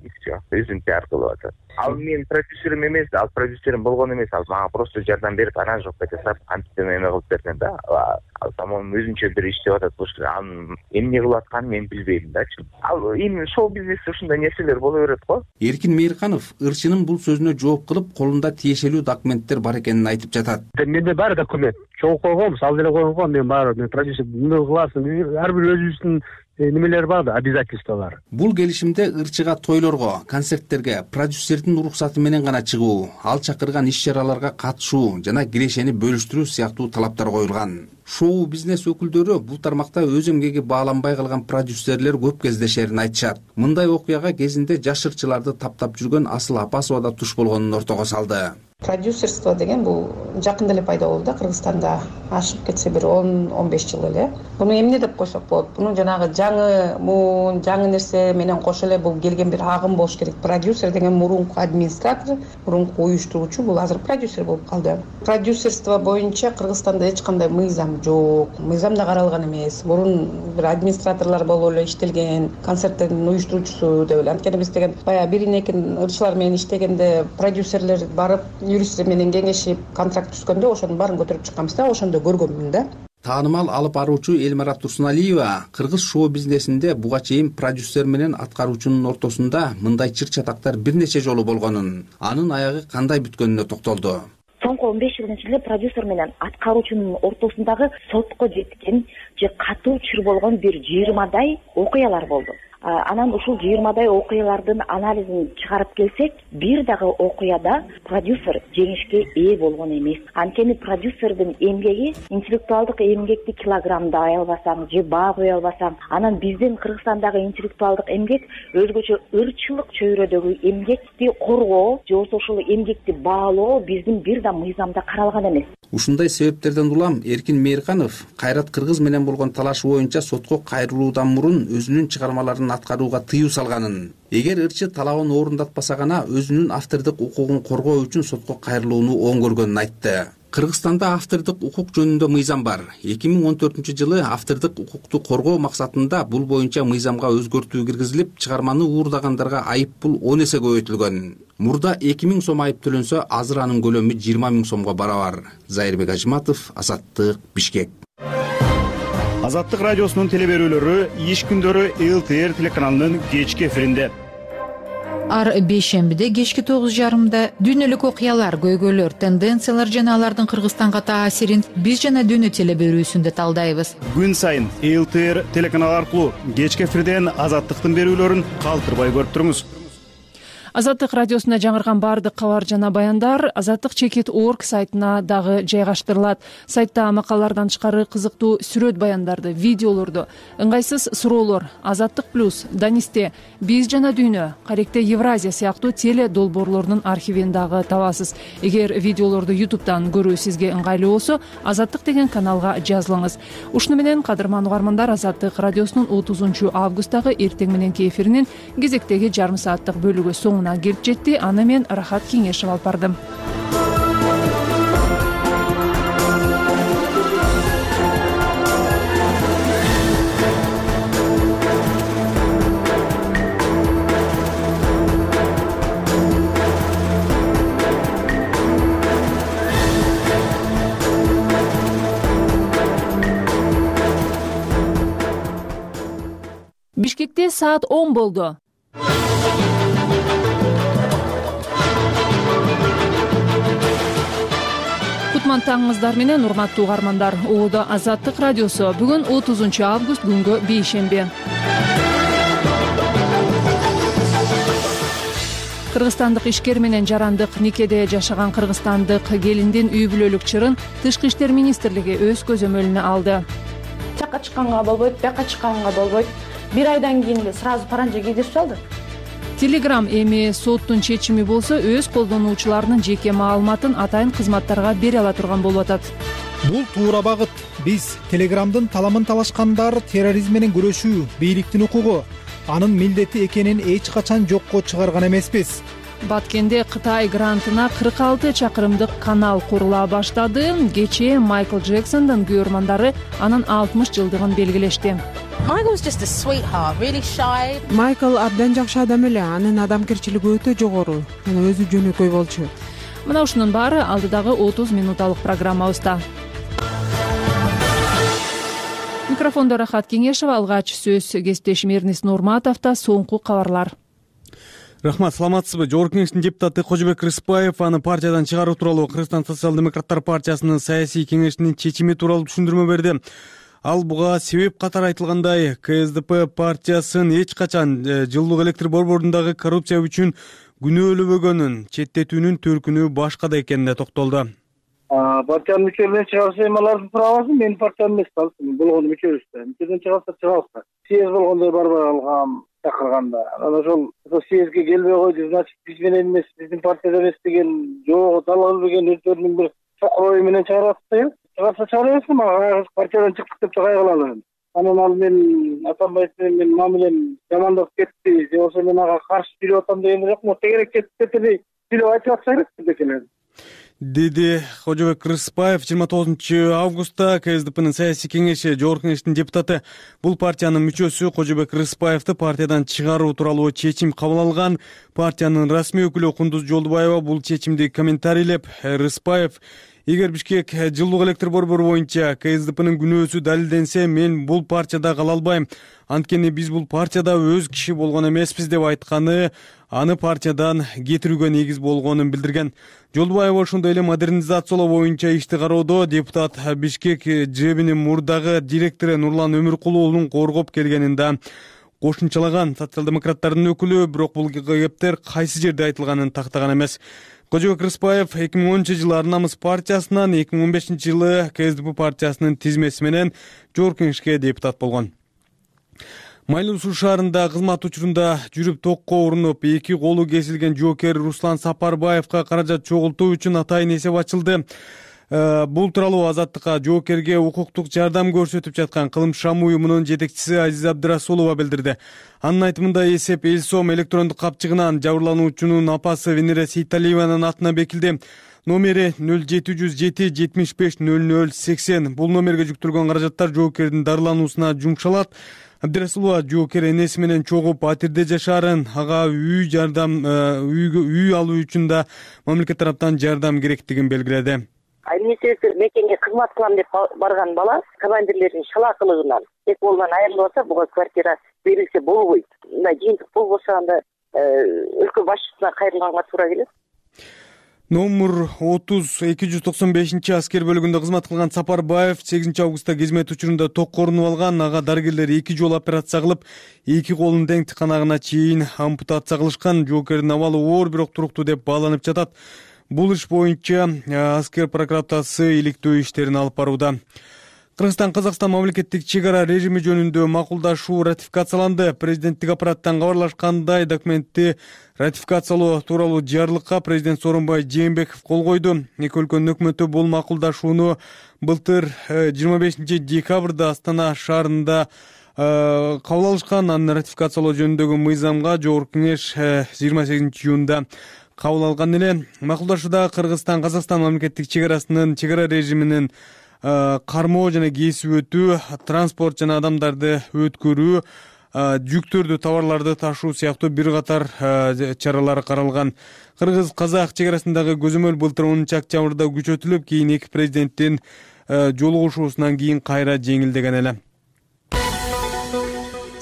өзүн пиар кылып атат. Ал менин продюсерим эмес, ал продюсерим болгон эмес, ал мага просто жардам берип, аранжировка жасап, кантип эме кылып берген да. Ал самон өзүнчө бир иштеп атат. Анын эмне кылып атканын мен билбейм дачы. Ал эми шоу бизнесте ушундай нерселер боло берет го. Эркин Мейирканов ырчынын бул сөзүнө жооп кылып, колунда тиешелүү документтер бар экенин айтып жатат. Менде бар документ. Чогуу койгом, ал деле койгом, мен баары, мен продюсер эмне кыласың? Ар бир өзүбүздүн немелер бар да, обязательстволор. Бул келишимде ырчыга тойлорго, концерттерге продюсердин уруксаты менен гана чыгуу, ал чакырган иш-чараларга катышуу жана кирешени бөлүштүрүү сыяктуу талаптар коюлган. Шоу бизнес өкүлдөрү бул тармакта өз эмгеги бааланбай калган продюсерлер көп кездешерин айтышат. Мындай окуяга кезинде жаш ырчыларды таптап жүргөн Асыл Апасова да туш болгонун ортого салды. Продюсерство деген бул жакында эле пайда болду да, Кыргызстанда. Ашып кетсе бир 10-15 жыл эле. Буну эмне деп койсок болот? Буну жанагы жаңы нерсе менен кошо эле бул келген бир агым болуш керек. Продюсер деген мурунку администратор, мурунку уюштуруучу, бул азыр продюсер болуп калды. Продюсерство боюнча Кыргызстанда эч кандай мыйзам жок. Мыйзам да каралган эмес. Мурун бир администраторлор болуп эле иштелген, концерттердин уюштуруучусу деп эле. Анткени биз деген баягы бирин-экин ырчылар менен иштегенде продюсерлер барып юристтер менен кеңешип контракт түзгөндө ошонун баарын көтөрүп чыкканбыз да, ошондо көргөнмүн да. Таанымал алып баруучу Элмара Турсуналиева кыргыз шоу бизнесинде буга чейин продюсер менен аткаруучунун ортосунда мындай чыр-чатактар бир нече жолу болгонун, анын аягы кандай бүткөнүнө токтолду. Соңку 15 жылдын ичинде продюсер менен аткаруучунун ортосундагы сотко жеткен же катуу чыр болгон бир 20дай окуялар болду. Анан ушул 20дай окуялардын анализин чыгарып келсек, бир дагы окуяда продюсер жеңишке ээ болгон эмес. Анткени продюсердин эмгеги, интеллектуалдык эмгекти килограммдай албасаң же баа кое албасаң, анан биздин Кыргызстандагы интеллектуалдык эмгек өзгөчө ырчылык чөйрөдөгү эмгекти коргоо же болбосо ошол эмгекти баалоо биздин бир да мыйзамда каралган эмес. Ушундай себептерден улам Эркин Мейирканов Кайрат Кыргыз менен болгон талашы боюнча сотко кайрылуудан мурун өзүнүн чыгармаларын аткарууга тыюу салганын, эгер ырчы талабын орундатпаса гана өзүнүн автордук укугун коргоо үчүн сотко кайрылууну оң көргөнүн айтты. Кыргызстанда автордук укук жөнүндө мыйзам бар. 2014-жылы автордук укукту коргоо максатында бул боюнча мыйзамга өзгөртүү киргизилип, чыгарманы уурдагандарга айып пул 10 эсе көбөйтүлгөн. Мурда 2000 сом айып төлөнсө, азыр анын көлөмү 20 000 сомго барабар. Зайырбек Ажыматов, Азаттык, Бишкек. Азаттык радиосунун телеберүүлөрү иш күндөрү ЛТР телеканалынын кечки эфиринде. Ар бейшембиде кечки 9:30 дүйнөлүк окуялар, көйгөйлөр, тенденциялар жана алардын Кыргызстанга таасирин биз жана дүйнө телеберүүсүндө талдайбыз. Күн сайын ЛТР телеканалы аркылуу кечки эфирден Азаттыктын берүүлөрүн калтырбай көрүп туруңуз. Азаттык радиосуна жаңырган баардык кабар жана баяндар azattik.org сайтына дагы жайгаштырылат. Сайтта макалалардан тышкары кызыктуу сүрөт баяндарды, видеолорду, ыңгайсыз суроолор, Азаттык плюс, Данисте, биз жана дүйнө, Каректе Евразия сыяктуу теле долбоорлордун архивин дагы табасыз. Эгер видеолорду YouTube'дан көрүү сизге ыңгайлуу болсо, Азаттык деген каналга жазылыңыз. Ушуну менен кадырман угармандар, Азаттык радиосунун 30 августтагы эртең мененки эфиринин кезектеги жарым сааттык бөлүгү соңуна соңуна келип жетти. Аны мен Рахат Кеңешев алып бардым. Бишкекте саат 10 болду. Кутман таңыңыздар менен, урматтуу угармандар. Оодо Азаттык радиосу. Бүгүн 30 август күнгө бейшемби. Кыргызстандык ишкер менен жарандык никеде жашаган кыргызстандык келиндин үй бүлөлүк чырын Тышкы иштер министрлиги өз көзөмөлүнө алды. Жакка чыкканга болбойт, бияка чыкканга болбойт. Бир айдан кийин эле сразу паранжа кийдирип салды. Telegram эми соттун чечими болсо өз колдонуучуларынын жеке маалыматын атайын кызматтарга бере ала турган болуп атат. Бул туура багыт. Биз Telegramдын таламын талашкандар терроризм менен күрөшүү бийликтин укугу, анын милдети экенин эч качан жокко чыгарган эмеспиз. Баткенде Кытай грантына 46 чакырымдык канал курула баштады. Кечээ Майкл Джексондун күйөрмандары анын 60 жылдыгын белгилешти. Майкл абдан жакшы адам эле, анын адамгерчилиги өтө жогору жана өзү жөнөкөй болчу. Мына ушунун баары алдыдагы 30 минуталык программабызда. Микрофондо Рахат Кеңешев, алгач сөз кесиптешим Эрнис Нурматовдо. Соңку кабарлар. Рахмат, саламатсызбы? Жогорку Кеңештин депутаты Кожобек Рыспаев аны партиядан чыгаруу тууралуу Кыргызстан социал-демократтар партиясынын саясий кеңешинин чечими тууралуу түшүндүрмө берди. Ал буга себеп катары айтылгандай, КСДП партиясын эч качан жылуулук электр борборундагы коррупция үчүн күнөөлөбөгөнүн, четтетүүнүн төркүнү башкада экенине токтолду. Партиянын мүчөлөрүнөн чыгарса, эми алардын правасы менин партиям эмес калсын. Болгону мүчөбүз. Мүчөдөн чыгарса чыгабыз. Съезд болгондой барбай алгам чакырганда. Анан ошол съездге келбей койду, значит, биз менен эмес, биздин партияда эмес деген жок, дал билбеген өздөрүнүн бир чокор ою менен чыгарып атты. Чыгарса чыгарабыз, мага партиядан чыктык деп чыгай калалы. Анан ал мен Атамбаев менен мамилем жамандап кетти, же болбосо мен ага каршы жүрүп атам деген жок, но тегерек кетти сүйлөп айтып атса керек дегенер. Деди Кожобек Рыспаев 29 августта КСДПнын саясий кеңеши Жогорку Кеңештин депутаты. Бул партиянын мүчөсү Кожобек Рыспаевди партиядан чыгаруу тууралуу чечим кабыл алган. Партиянын расмий өкүлү Кундуз Жолдубаева бул чечимди комментарийлеп, Рыспаев: эгер Бишкек жылуулук электр борбору боюнча КСДПнын күнөөсү далилденсе, мен бул партияда кала албайм. Анткени биз бул партияда өз киши болгон эмеспиз деп айтканы аны партиядан кетирүүгө негиз болгонун билдирген. Жолдубаева ошондой эле модернизациялоо боюнча ишти кароодо депутат Бишкек ЖЭБинин мурдагы директору Нурлан Өмүркулуулун коргоп келгенин да кошумчалаган. Социал-демократтардын өкүлү бирок бул кептер кайсы жерде айтылганын тактаган эмес. Кожобек Рыспаев 2010 жылы Ар намыс партиясынан, 2015 жылы КСДП партиясынын тизмеси менен Жогорку Кеңешке депутат болгон. Майлуу Суу шаарында кызмат учурунда жүрүп токко урунуп, 2 колу кесилген жоокер Руслан Сапарбаевга каражат чогултуу үчүн атайын эсеп ачылды. Бул тууралуу Азаттыкка жоокерге укуктук жардам көрсөтүп жаткан Кылым Шам уюмунун жетекчиси Азиза Абдырасулова билдирди. Анын айтымында эсеп эл сом электрондук капчыгынан жабырлануучунун апасы Венера Сейталиеванын атына бекилди. Номери 0707 75 00 80. Бул номерге жүктөлгөн каражаттар жоокердин дарылануусуна жумшалат. Абдырасулова жоокер энеси менен чогуу патирде жашаарын, ага үй алуу үчүн да мамлекет тараптан жардам керектигин белгиледи. Административдик мекенге кызмат кылам деп барган бала командирлердин шалаакылыгынан эки колунан айрылып атса, буга квартира берилсе болбойт. Мындай жыйынтык болбосо анда өлкө башчысына кайрылганга туура келет. Номер 30-295 аскер бөлүгүндө кызмат кылган Сапарбаев 8 августта кызмет учурунда токко орунуп алган. Ага дарыгерлер 2 жолу операция кылып, 2 колун тең тыканагына чейин ампутация кылышкан. Жоокердин абалы оор, бирок туруктуу деп бааланып жатат. Бул иш боюнча аскер прокуратурасы иликтөө иштерин алып барууда. Кыргызстан-Казакстан мамлекеттик чек ара режими жөнүндө макулдашуу ратификацияланды. Президенттик аппараттан кабарлашкандай, документти ратификациялоо тууралуу жарлыкка президент Сооронбай Жээнбеков кол койду. Эки өлкөнүн өкмөтү бул макулдашууну былтыр 25 декабрда Астана шаарында кабыл алышкан. Аны ратификациялоо жөнүндөгү мыйзамга жогорку кеңеш 28 июнда кабыл алган эле. Макулдашууда Кыргызстан Казакстан мамлекеттик чек арасынын чек ара режиминин кармоо жана кесип өтүү, транспорт жана адамдарды өткөрүү, жүктөрдү, товарларды ташуу сыяктуу бир катар чаралар каралган. Кыргыз-казак чек арасындагы көзөмөл былтыр 10 октябрда күчөтүлүп, кийин эки президенттин жолугушуусунан кийин кайра жеңилдеген эле.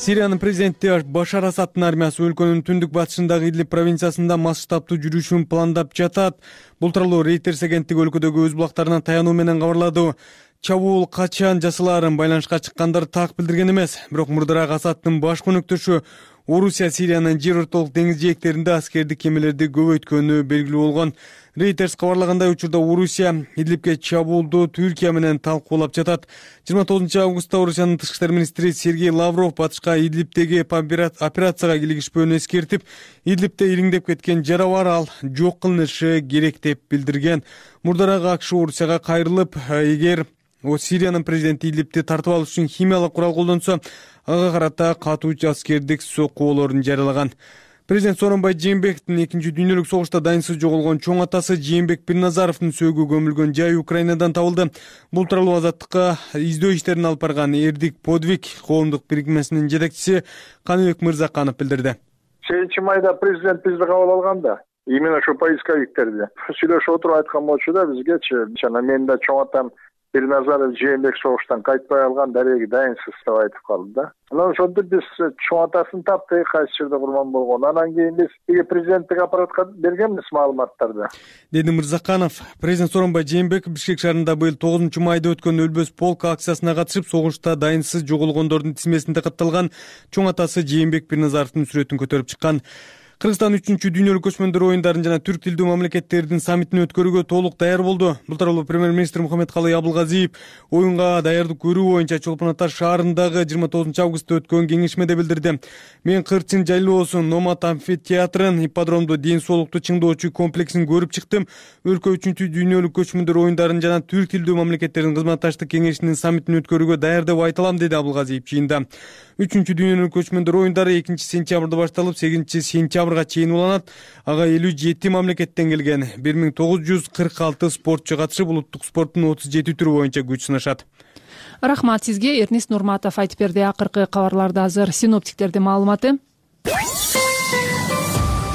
Сириянын президенти Башар Асаддын армиясы өлкөнүн түндүк батышындагы Идлиб провинциясында масштабтуу жүрүшүн пландап жатат. Бул тууралуу Reuters агенттиги өлкөдөгү өз булактарына таянуу менен кабарлады. Чабуул качан жасалаарын байланышка чыккандар так билдирген эмес. Бирок мурдараак Асаддын баш өнөктөшү Орусия Сириянын жер ортолук деңиз жээктеринде аскердик кемелерди көбөйткөнү белгилүү болгон. Reuters кабарлагандай, учурда Орусия Идлибке чабуулду Түркия менен талкуулап жатат. 29 августта Орусиянын тышкы иштер министри Сергей Лавров батышка Идлибтеги операцияга кийлигишпөөнү эскертип, Идлибте ириңдеп кеткен жара бар, ал жок кылынышы керек деп билдирген. Мурдараак АКШ Орусияга кайрылып, эгер Сириянын президенти Идлибти тартып алыш үчүн химиялык курал колдонсо, ага карата катуу аскердик соккуолорун жарыялаган. Президент Сооронбай Жээнбековдун Экинчи дүйнөлүк согушта дайынсыз жоголгон чоң атасы Жээнбек Бирназаровдун сөөгү көмүлгөн жай Украинадан табылды. Бул тууралуу Азаттыкка издөө иштерин алып барган Эрдик Подвиг коомдук бирикмесинин жетекчиси Каныбек Мырзаканов билдирди. 7 майда президент бизди кабыл алганда, именно ошо поисковиктерди сүйлөшүп отуруп айткан болчу да бизгечи, жана мен да чоң атам Бирназаров Жээнбек согуштан кайтпай алган дареги дайынсыз деп айтып калды да. Анан ошондо биз чоң атасын таптык, кайсы жерде курман болгон. Анан кийин биз президенттик аппаратка бергенбиз маалыматтарды. Деди Мырзаканов. Президент Сооронбай Жээнбеков Бишкек шаарында быйыл 9 майда өткөн Өлбөс полк акциясына катышып, согушта дайынсыз жоголгондордун тизмесинде катталган чоң атасы Жээнбек Бирназаровдун сүрөтүн көтөрүп чыккан. Кыргызстан 3-чү дүйнөлүк көчмөндөр оюндарын жана түрк тилдүү мамлекеттердин саммитин өткөрүүгө толук даяр болду. Бул тууралуу премьер-министр Мухаммедкалый Абылгазиев оюнга даярдык көрүү боюнча Чолпон Ата шаарындагы 29 августта өткөн кеңешмеде билдирди. Мен Кырчын жайлоосун, Номат амфитеатрын, ипподромду, ден соолукту чыңдоочу комплексин көрүп чыктым. Өлкө 3-чү дүйнөлүк көчмөндөр оюндарын жана түрк тилдүү мамлекеттердин кызматташтык кеңешинин саммитин өткөрүүгө даяр деп айта алам, деди Абылгазиев жыйында. 3-чү дүйнөлүк көчмөндөр оюндары 2-сентябрда башталып, 8-сентябрга чейин уланат. Ага 57 мамлекеттен келген 1946 спортчу катышып, улуттук спорттун 37 түрү боюнча күч сынашат. Рахмат сизге. Эрнис Нурматов айтып берди. Акыркы кабарларды азыр синоптиктердин маалыматы.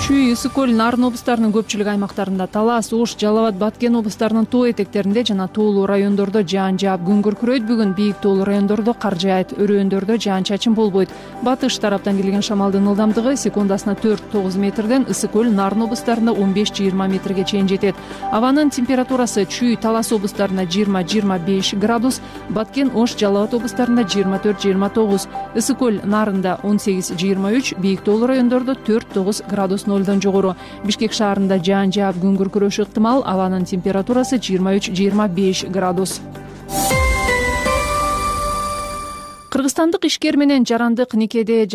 Чүй, Ысык көл, Нарын облустарынын көпчүлүк аймактарында, Талас, Ош, Жалал абад, Баткен облустарынын тоо этектеринде жана тоолуу райондордо жаан жаап, күн күркүрөйт. Бүгүн бийик тоолуу райондордо кар жаайт, өрөөндөрдө жаан-чачын болбойт. Батыш тараптан келген шамалдын ылдамдыгы секундасына 4-9 метрден, Ысык көл, Нарын облустарында 15-20 метрге чейин жетет. Абанын температурасы Чүй, Талас облустарында 20-25 градус, Баткен, Ош, Жалал абад облустарында 24-29, Ысык көл, Нарында 18-23, бийик тоолуу райондордо 4-9 градус жогору. Бишкек шаарында жаан жаап, күн күркүрөшү ыктымал. Абанын температурасы 23-25 градус. Казакстандык ишкер менен жарандык никеде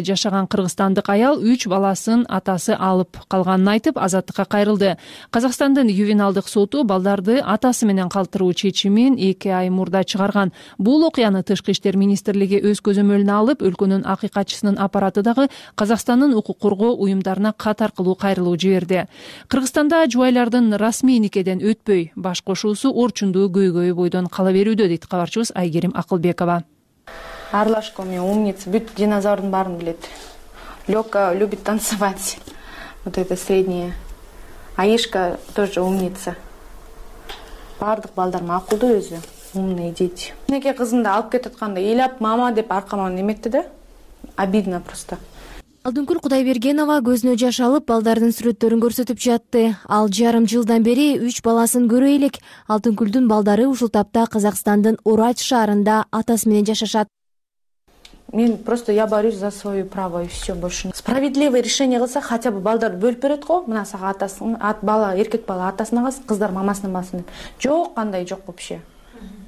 жашаган кыргызстандык аял 3 баласын атасы алып калганын айтып, азаттыкка кайрылды. Казакстандын ювеналдык соту балдарды атасы менен калтыруу чечимин 2 ай мурда чыгарган. Бул окуяны Тышкы иштер министрлиги өз көзөмөлүнө алып, өлкөнүн акыйкатчысынын аппараты дагы Казакстандын укук коргоо уюмдарына кат аркылуу кайрылуу жиберди. Кыргызстанда жубайлардын расмий никеден өтпөй баш кошуусу орчундуу көйгөй бойдон кала берүүдө, дейт кабарчыбыз Айгерим Акылбекова. Арлашко мен умница, бүт динозаврдын баарын билет. Лёка любит танцевать. Вот это среднее. Аишка тоже умница. Бардык балдар макулдуу өзү. Умные дети. Неке кызымды алып кетип атканда ыйлап мама деп аркама неметти да. Обидно просто. Алдынгүл Кудайбергенова көзүнө жаш алып, балдардын сүрөттөрүн көрсөтүп жатты. Ал жарым жылдан бери 3 баласын көрө элек. Алтынгүлдүн балдары ушул тапта Казакстандын Урач шаарында атасы менен жашашат. Мен просто я борюсь за свое право и все больше. Справедливое решение кылса, хотя бы балдарды бөлүп берет го. Мына сага атасын, эркек бала атасына калсын, кыздар мамасына калсын деп. Жок, кандай жок вообще.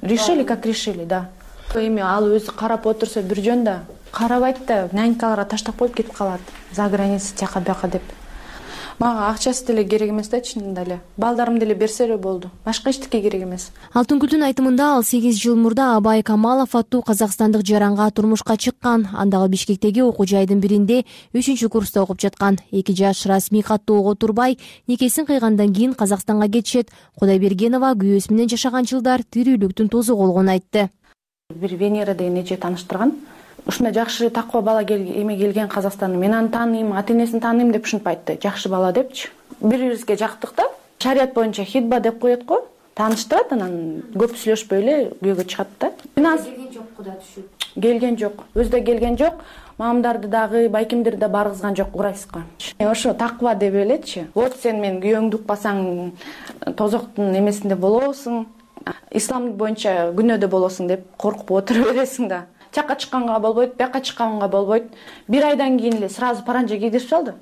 Решили как решили, да. Эми ал өзү карап отурса бир жөн да, карабайт да, нянькаларга таштап коюп кетип калат. За граница тияка бияка деп. Мага акчасы деле керек эмес да, чынында эле. Балдарым деле берсе эле болду. Башка эчтеке керек эмес. Алтынгүлдүн айтымында ал 8 жыл мурда Абай Камалов аттуу казакстандык жаранга турмушка чыккан. Андагы Бишкектеги окуу жайдын биринде 3-курста окуп жаткан. 2 жаш расмий каттоого турбай, никесин кыйгандан кийин Казакстанга кетишет. Кудайбергенова күйөөсү менен жашаган жылдар тирүүлүктүн тозу болгонун айтты. Бир Венера деген эже тааныштырган. Ушундай жакшы таква бала келген Казакстанда. Мен аны тааныйм, ата-энесин тааныйм деп ушинтип айтты. Жакшы бала депчи. Бири-бирибизге жактык да. Шарият боюнча хитба деп коет го. Тааныштырат, анан көп сүйлөшпөй эле күйөөгө чыгат да. Келген жок, куда түшүп. Келген жок. Өзү да келген жок. Мамамдарды дагы, байкемдерди да баргызган жок, урайсызга. Ошо таква деп элечи. Вот сен мен күйөөңдү укпасаң тозоктун эмесинде болосуң. Ислам боюнча күнөөдө болосуң деп коркуп отура бересиң да. Чакка чыкканга болбойт, бияка чыкканга болбойт. 1 айдан кийин эле сразу паранжа кийдирип салды.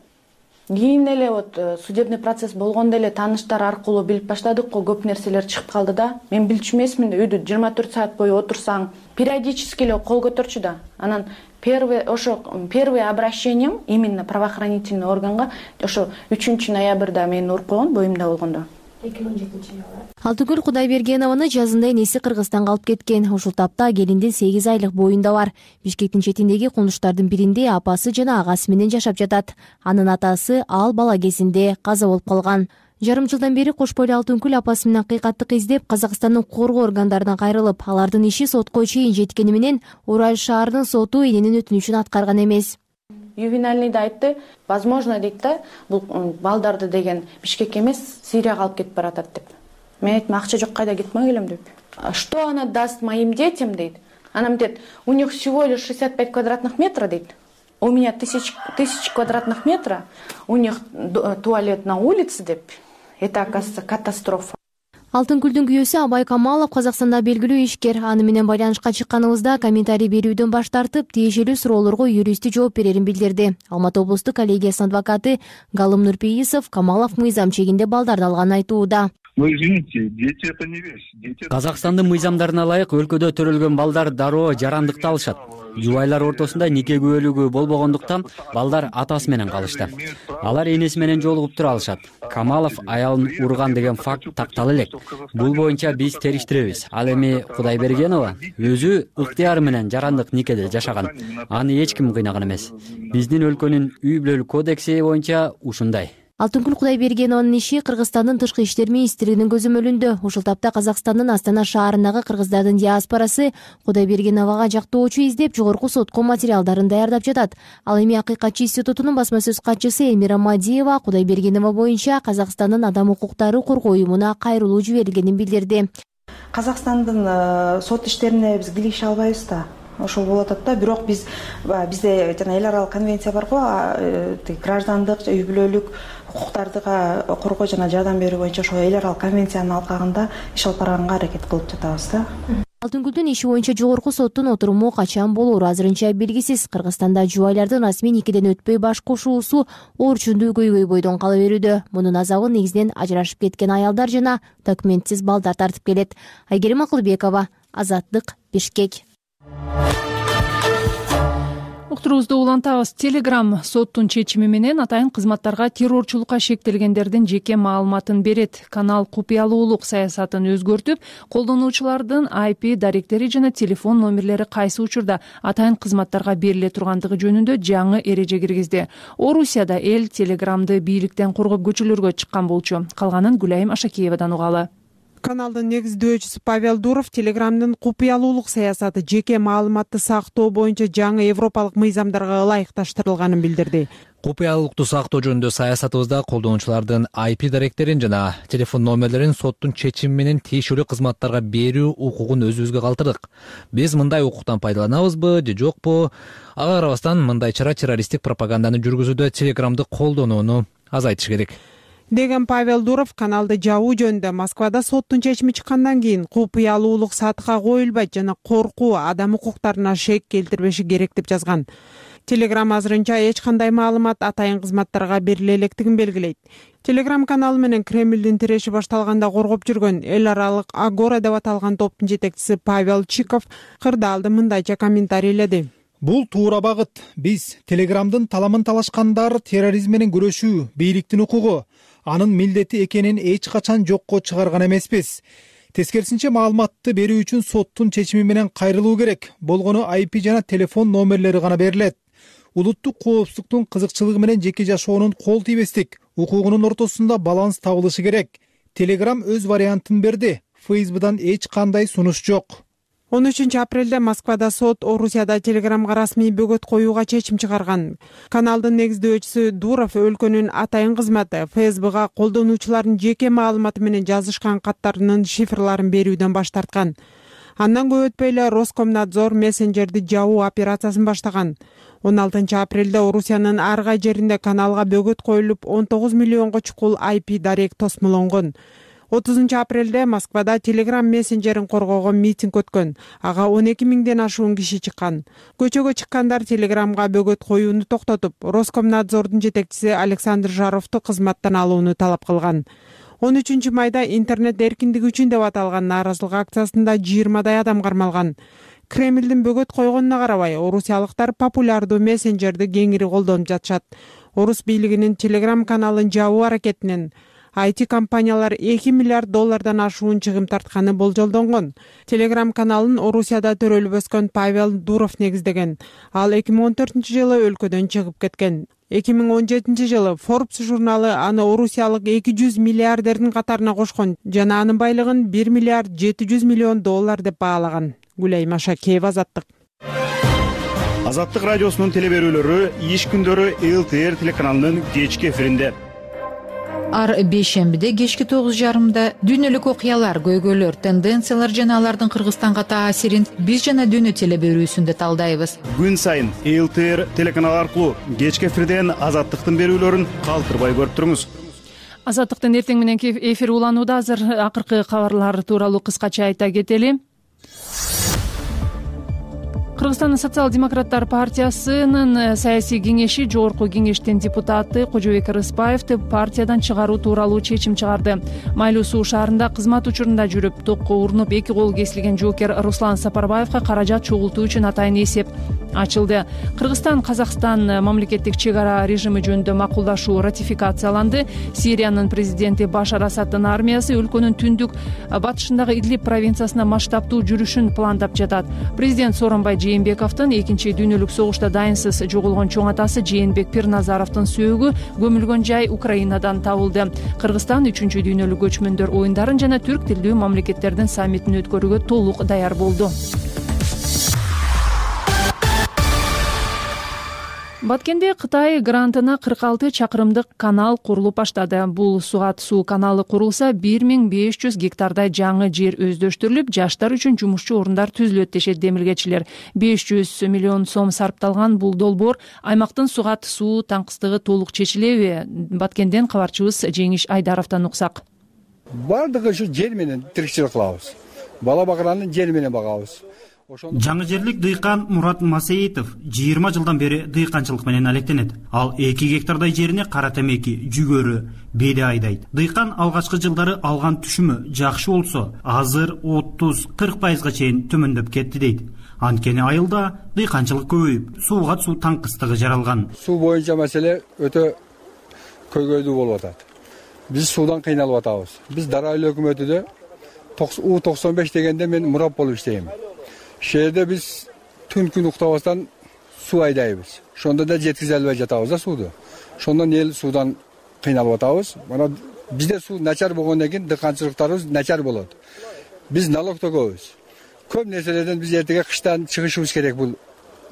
Кийин эле вот судебный процесс болгондо эле тааныштар аркылуу билип баштадык го, көп нерселер чыгып калды да. Мен билчү эмесмин да, үйдө 24 саат бою отурсаң, периодически эле кол көтөрчү да. Анан первый обращением именно правоохранительный органга ошо 3 ноябрда мени уруп койгон, боюмда болгондо. 2017-жылы. Алтыгүл Кудайбергенованы жазында энеси Кыргызстанга алып кеткен. Ушул тапта келиндин 8 айлык боюнда бар. Бишкектин четиндеги кулунуштардын биринде апасы жана агасы менен жашап жатат. Анын атасы ал бала кезинде каза болуп калган. Жарым жылдан бери кош бойлуу Алтынгүл апасы менен акыйкаттык издеп Казакстандын коргоо органдарына кайрылып, алардын иши сотко чейин жеткени менен Урал шаарынын соту эненин өтүнүчүн аткарган эмес. Ювенальныйда айтты, возможно дейт да, бул балдарды деген Бишкекке эмес, Сирияга алып кетип баратат деп. Мен айттым, акча жок, кайда кетмей келем деп. Что она даст моим детям, дейт. Она айтат, у них всего лишь 65 квадратных метра, дейт. У меня 1000 квадратных метра, у них туалет на улице, деп. Это, оказывается, катастрофа. Алтынгүлдүн күйөөсү Абай Камалов Казакстанда белгилүү ишкер. Аны менен байланышка чыкканыбызда комментарий берүүдөн баш тартып, тиешелүү суроолорго юристи жооп берерин билдирди. Алматы облустук коллегиясынын адвокаты Галым Нурпейисов Камалов мыйзам чегинде балдарды алганын айтууда. Ну, извините, дети это не вещь. Казакстандын мыйзамдарына ылайык өлкөдө төрөлгөн балдар дароо жарандыкты алышат. Жубайлар ортосунда нике күбөлүгү болбогондуктан балдар атасы менен калышты. Алар энеси менен жолугуп тура алышат. Камалов аялын урган деген факт тактала элек. Бул боюнча биз териштиребиз. Ал эми Кудайбергенова өзү ыктыяры менен жарандык никеде жашаган. Аны эч ким кыйнаган эмес. Биздин өлкөнүн үй бүлөлүк кодекси боюнча ушундай. Алтынгүл Кудайбергенованын иши Кыргызстандын тышкы иштер министрлигинин көзөмөлүндө. Ушул тапта Казакстандын Астана шаарындагы кыргыздардын диаспорасы Кудайбергеновага жактоочу издеп, жогорку сотко материалдарын даярдап жатат. Ал эми Акыйкатчы институтунун басма сөз катчысы Элмира Мадиева Кудайбергенова боюнча Казакстандын адам укуктары коргоо уюмуна кайрылуу жиберилгенин билдирди. Казакстандын сот иштерине биз киреше албайбыз да. Ошол болуп атат да. Бирок бизде жана эл аралык конвенция бар го, граждандык, үй бүлөлүк укуктарды коргоо жана жардам берүү боюнча ошол эл аралык конвенциянын алкагында иш алып барганга аракет кылып жатабыз да. Алтынгүлдүн иши боюнча жогорку соттун отуруму качан болоору азырынча белгисиз. Кыргызстанда жубайлардын расмий никеден өтпөй баш кошуусу орчундуу көйгөй бойдон кала берүүдө. Мунун азабын негизинен ажырашып кеткен аялдар жана документсиз балдар тартып келет. Айгерим Акылбекова, Азаттык, Бишкек. Уктуруубузду улантабыз. Telegram соттун чечими менен атайын кызматтарга террорчулукка шектелгендердин жеке маалыматын берет. Канал купуялуулук саясатын өзгөртүп, колдонуучулардын IP даректери жана телефон номерлери кайсы учурда атайын кызматтарга бериле тургандыгы жөнүндө жаңы эреже киргизди. Орусияда эл Telegram'ды бийликтен коргоп көчөлөргө чыккан болчу. Калганын Гүлайым Ашакеевадан угалы. Каналдын негиздөөчүсү Павел Дуров Telegram'дын купуялуулук саясаты жеке маалыматты сактоо боюнча жаңы европалык мыйзамдарга ылайыкташтырылганын билдирди. Купуялуулукту сактоо жөнүндө саясатыбызда колдонуучулардын IP даректерин жана телефон номерлерин соттун чечими менен тиешелүү кызматтарга берүү укугун өзүбүзгө калтырдык. Биз мындай укуктан пайдаланабызбы же жокпу? Ага карабастан мындай чара террористтик пропаганданы жүргүзүүдө Telegram'ды колдонууну азайтыш керек деген Павел Дуров каналды жабуу жөнүндө Москвада соттун чечими чыккандан кийин купуялуулук сатка коюлбайт жана коркуу адам укуктарына шек келтирбеши керек деп жазган. Telegram азырынча эч кандай маалымат атайын кызматтарга бериле электигин белгилейт. Telegram каналы менен Кремлдин тиреши башталганда коргоп жүргөн эл аралык Агора деп аталган топтун жетекчиси Павел Чиков кырдаалды мындайча комментарийледи. Бул туура багыт. Биз Телеграмдын таламын талашкандар терроризм менен күрөшүү бийликтин укугу, анын милдети экенин эч качан жокко чыгарган эмеспиз. Тескерисинче маалыматты берүү үчүн соттун чечими менен кайрылуу керек. Болгону IP жана телефон номерлери гана берилет. Улуттук коопсуздуктун кызыкчылыгы менен жеке жашоонун кол тийбестик укугунун ортосунда баланс табылышы керек. Telegram өз вариантын берди. Facebook'дан эч кандай сунуш жок. 13 апрелде Москвада сот Орусияда Телеграмга расмий бөгөт коюуга чечим чыгарган. Каналдын негиздөөчүсү Дуров өлкөнүн атайын кызматы Facebook'га колдонуучулардын жеке маалыматы менен жазышкан каттарынын шифрларын берүүдөн баш тарткан. Андан көп өтпөй эле Роскомнадзор мессенджерди жабуу операциясын баштаган. 16 апрелде Орусиянын ар кай жеринде каналга бөгөт коюлуп 19 миллионго чукул IP дарек тосмолонгон. 30 апрелде Москвада Telegram мессенджерин коргоого митинг өткөн. Ага 12 миңден ашуун киши чыккан. Көчөгө чыккандар Telegramга бөгөт коюуну токтотуп, Роскомнадзордун жетекчиси Александр Жаровду кызматтан алууну талап кылган. 13 майда интернет эркиндиги үчүн деп аталган нааразылык акциясында 20дай адам кармалган. Кремлдин бөгөт койгонуна карабай, орусиялыктар популярдуу мессенджерди кеңири колдонуп жатышат. Орус бийлигинин Telegram каналын жабуу аракетинен IT компаниялар 2 миллиард доллардан ашуун чыгым тартканы болжолдонгон. Telegram каналын Орусияда төрөлүп өскөн Павел Дуров негиздеген. Ал 2014-жылы өлкөдөн чыгып кеткен. 2017-жылы Forbes журналы аны орусиялык 200 миллиардердин катарына кошкон жана анын байлыгын 1 миллиард 700 миллион доллар деп баалаган. Гүлай Машакеева, Азаттык. Азаттык радиосунун телеберүүлөрү иш күндөрү ЛТР телеканалынын кечки эфиринде. Ар бейшембиде кечки 9:30 дүйнөлүк окуялар, көйгөйлөр, тенденциялар жана алардын Кыргызстанга таасирин биз жана дүйнө телеберүүсүндө талдайбыз. Күн сайын ЛТР телеканалы аркылуу кечки эфирден Азаттыктын берүүлөрүн калтырбай көрүп туруңуз. Азаттыктын эртең мененки эфир уланууда. Азыр акыркы кабарлар тууралуу кыскача айта кетели. Кыргызстандын социал-демократтар партиясынын саясий кеңеши жогорку кеңештин депутаты Кожобек Рыспаевди партиядан чыгаруу тууралуу чечим чыгарды. Майлуу суу шаарында кызмат учурунда жүрүп, токко урунуп 2 колу кесилген жоокер Руслан Сапарбаевга каражат чогултуу үчүн атайын эсеп ачылды. Кыргызстан-Казакстан мамлекеттик чек ара режими жөнүндө макулдашуу ратификацияланды. Сириянын президенти Башар Асаддын армиясы өлкөнүн түндүк батышындагы Идлиб провинциясына масштабтуу жүрүшүн пландап жатат. Президент Сооронбай Жээнбековдун 2 дүйнөлүк согушта дайынсыз жоголгон чоң атасы Жээнбек Пирназаровдун сөөгү көмүлгөн жай Украинадан табылды. Кыргызстан 3 дүйнөлүк көчмөндөр оюндарын жана түрк тилдүү мамлекеттердин саммитин өткөрүүгө толук даяр болду. Баткенде Кытай грантына 46 чакырымдык канал курулуп баштады. Бул Сугат суу каналы курулса 1500 гектардай жаңы жер өздөштүрүлүп, жаштар үчүн жумушчу орундар түзүлөт дешет демилгечилер. 500 миллион сом сарпталган бул долбоор аймактын Сугат суу таңкыстыгы толук чечилеби? Баткенден кабарчыбыз Жеңиш Айдаровдон уксак. Бардыгы ушу жер менен тирикчилик кылабыз. Бала багыранын жери менен багабыз. Жаңы жерлик дыйкан Мурат Масеитов 20 жылдан бери дыйканчылык менен алектенет. Ал 2 гектардай жерине кара темеки, жүгөрү, беде айдайт. Дыйкан алгачкы жылдары алган түшүмү жакшы болсо, азыр 30-40%га чейин төмөндөп кетти дейт. Анткени айылда дыйканчылык көбөйүп, Сугат суу таңкыстыгы жаралган. Суу боюнча маселе өтө көйгөйлүү болуп атат. Биз суудан кыйналып атабыз. Биз Дара айыл өкмөтүдө U95 дегенде мен мурап болуп иштейм. Шерде биз түн күн уктабастан суу айдайбыз. Ошондо да жеткизе албай жатабыз да сууду. Ошондон эл суудан кыйналып атабыз. Мана бизде суу начар болгондон кийин дыйканчылыктарыбыз начар болот. Биз налог төгөбүз. Көп нерселерден биз эртеге кыштан чыгышыбыз керек бул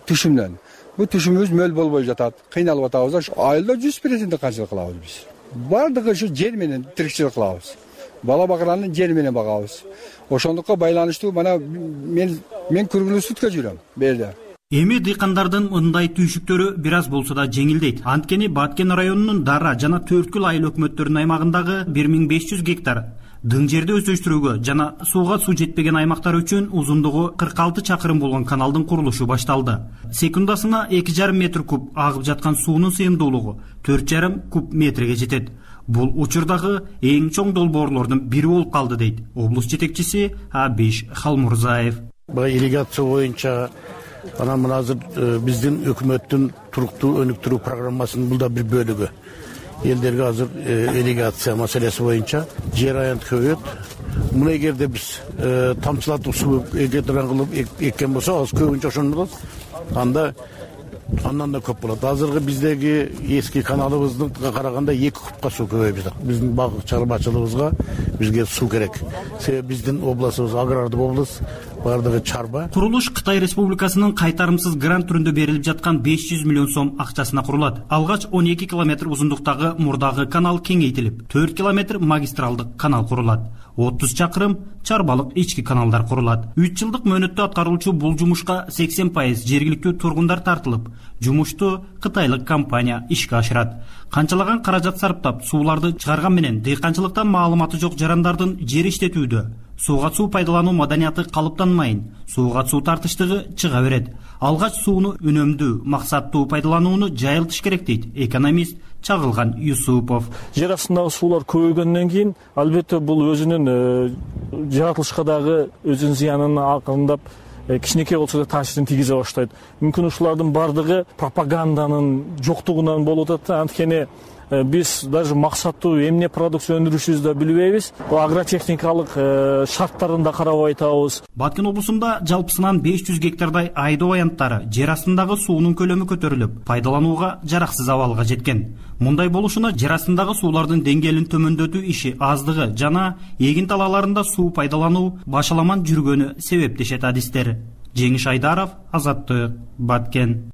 түшүмдөн. Бул түшүмүбүз мөл болбой жатат. Кыйналып атабыз. Айылда 100% дыйканчылык кылабыз биз. Бардыгы ушу жер менен тирикчилик кылабыз. Бала багыранын жери менен багабыз. Ошондукка байланыштуу мана мен күргүлүү суткө жүрөм берде. Эми дыйкандардын мындай түйшүктөрү бир аз болсо да жеңилдейт. Анткени Баткен районунун Дара жана Төрткүл айыл өкмөттөрүнүн аймагындагы 1500 гектар дың жерди өздөштүрүүгө жана сууга суу жетпеген аймактар үчүн узундугу 46 чакырым болгон каналдын курулушу башталды. Секундасына 2,5 метр куб агып жаткан суунун сыйымдуулугу 4,5 куб метрге жетет. Бул учурдагы эң чоң долбоорлордун бири болуп калды дейт облус жетекчиси Абиш Халмурзаев. Бул ирригация боюнча Анан мына азыр биздин өкмөттүн туруктуу өнүктүрүү программасынын бул да бир бөлүгү. Элдерге азыр ирригация маселеси боюнча жер аянты көбөйөт. Муну эгерде биз тамчылатып суу экетирен кылып эккен болсок, аз көбүнчө ошону болот. Анда андан да көп болот. Азыркы биздеги эски каналыбызга караганда 2 кубка суу көбөйүп жатат. Биздин багык чарбачылыгыбызга бизге суу керек. Себеби биздин областыбыз агрардык область, бардыгы чарба. Курулуш Кытай Республикасынын кайтарымсыз грант түрүндө берилип жаткан 500 миллион сом акчасына курулат. Алгач 12 километр узундуктагы мурдагы канал кеңейтилип, 4 километр магистралдык канал курулат. 30 чакырым чарбалык ички каналдар курулат. 3 жылдык мөөнөттө аткаруучу бул жумушка 80% жергиликтүү тургундар тартылып, жумушту кытайлык компания ишке ашырат. Канчалаган каражат сарптап, сууларды чыгарган менен дыйканчылыктан маалыматы жок жарандардын жер иштетүүдө сууга суу пайдалануу маданияты калыптанмайын, сууга суу тартыштыгы чыга берет. Алгач сууну үнөмдүү, максаттуу пайдаланууну жайылтыш керек дейт экономист Чагылган Юсупов. Жер астындагы суулар көбөйгөндөн кийин албетте бул өзүнүн жаратылышка дагы өзүнүн зыянын акырындап кичинекей болсо да таасирин тийгизе баштайт. Мүмкүн ушулардын бардыгы пропаганданын жоктугунан болуп атат. Анткени биз даже максаттуу эмне продукция өндүрүшүбүздү да билбейбиз. Бул агротехникалык шарттарын да карабай атабыз. Баткен облусунда жалпысынан 500 гектардай айдоо аянттары жер астындагы суунун көлөмү көтөрүлүп, пайдаланууга жараксыз абалга жеткен. Мындай болушуна жер астындагы суулардын деңгээлин төмөндөтүү иши аздыгы жана эгин талааларында суу пайдалануу башаламан жүргөнү себептешет адистер. Жеңиш Айдаров, Азаттык, Баткен.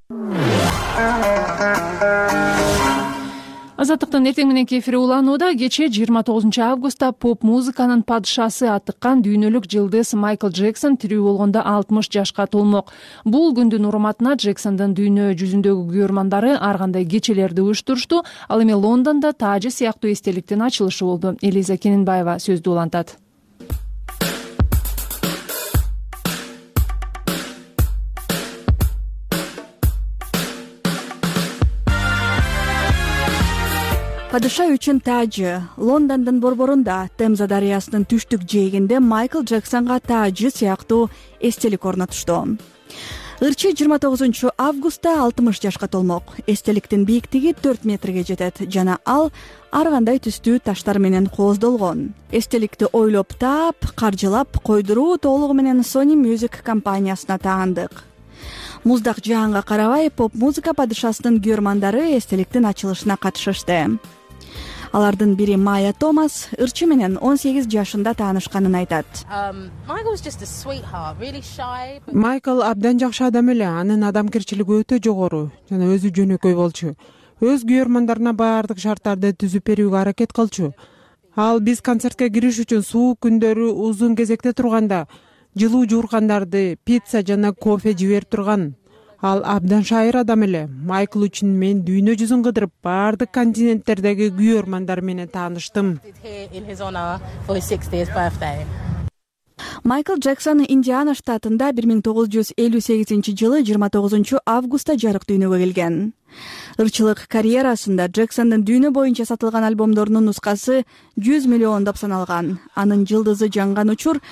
Азаттыктын эртең мененки эфири уланууда. Кечээ 29 августта поп музыканын падышасы атыккан дүйнөлүк жылдыз Майкл Джексон тирүү болгондо 60 жашка толмок. Бул күндүн урматына Джексондун дүйнө жүзүндөгү күйөрмандары ар кандай кечелерди уюштурушту. Ал эми Лондондо таажы сыяктуу эстеликтин ачылышы болду. Элиза Кененбаева сөздү улантат. Падыша үчүн таажы. Лондондун борборунда Темза дарыясынын түштүк жээгинде Майкл Джексонго таажы сыяктуу эстелик орнотушту. Ырчы 29 августта 60 жашка толмок. Эстеликтин бийиктиги 4 метрге жетет жана ал ар кандай түстүү таштар менен кооздолгон. Эстеликти ойлоп таап, каржылап койдуруу толугу менен Sony Music компаниясына таандык. Муздак жаанга карабай, поп музыка падышасынын күйөрмандары эстеликтин ачылышына катышышты. Алардын бири Майя Томас ырчы менен 18 жашында таанышканын айтат. Майкл абдан жакшы адам эле, анын адамгерчилиги өтө жогору жана өзү жөнөкөй болчу. Өз күйөрмандарына баардык шарттарды түзүп берүүгө аракет кылчу. Ал биз концертке кириш үчүн суук күндөрү узун кезекте турганда жылуу жууркандарды, пицца жана кофе жиберип турган. Ал абдан шайыр адам эле. Майкл үчүн мен дүйнө жүзүн кыдырып, баардык континенттердеги күйөрмандар менен тааныштым. Майкл Джексон Индиана штатында 1958 жылы 29 августта жарык дүйнөгө келген. Ырчылык карьерасында Джексондун дүйнө боюнча сатылган альбомдорунун нускасы 100 миллиондоп саналган. Анын жылдызы жанган учур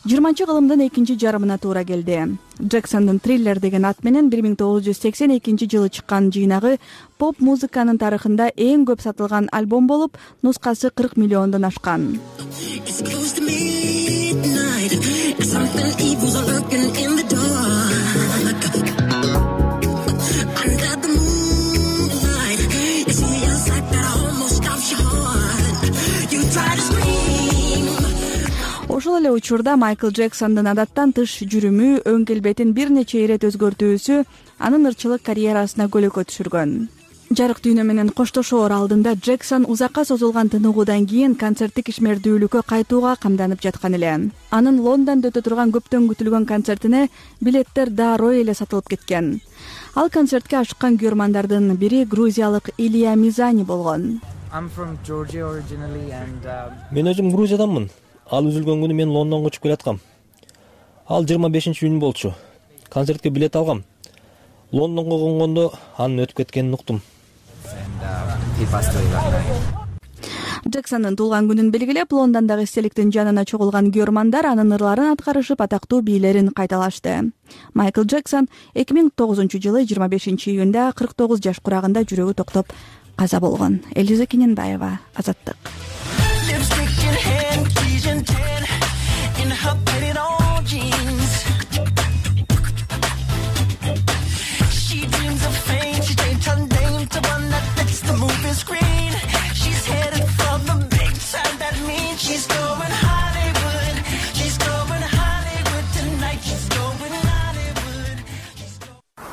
20-кылымдын экинчи жарымына туура келди. Джексондун Thriller деген ат менен 1982 жылы чыккан жыйнагы поп музыканын тарыхында эң көп сатылган альбом болуп, нускасы 40 миллиондон ашкан. Ошол эле учурда Майкл Джексондун адаттан тыш жүрүмү, өң келбетин бир нече ирет өзгөртүүсү анын ырчылык карьерасына көлөкө түшүргөн. Жарык дүйнө менен коштошоор алдында Джексон узакка созулган тыныгуудан кийин концерттик ишмердүүлүккө кайтууга камданып жаткан эле. Анын Лондондо өтө турган көптөн күтүлгөн концертине билеттер дароо эле сатылып кеткен. Ал концертке ашыккан күйөрмандардын бири грузиялык Илия Мизани болгон. Мен өзүм Грузияданмын. Ал үзүлгөн күнү мен Лондонго учуп келаткам. Ал 25-июнь болчу. Концертке билет алгам. Лондонго конгондо анын өтүп кеткенин уктум. Джексондун туулган күнүн белгилеп, Лондондогу эстеликтин жанына чогулган көрмандар анын ырларын аткарышып, атактуу бийлерин кайталашты. Майкл Джексон 2009-жылы 25-июнда 49 жаш курагында жүрөгү токтоп каза болгон. Элиза Кененбаева, Азаттык.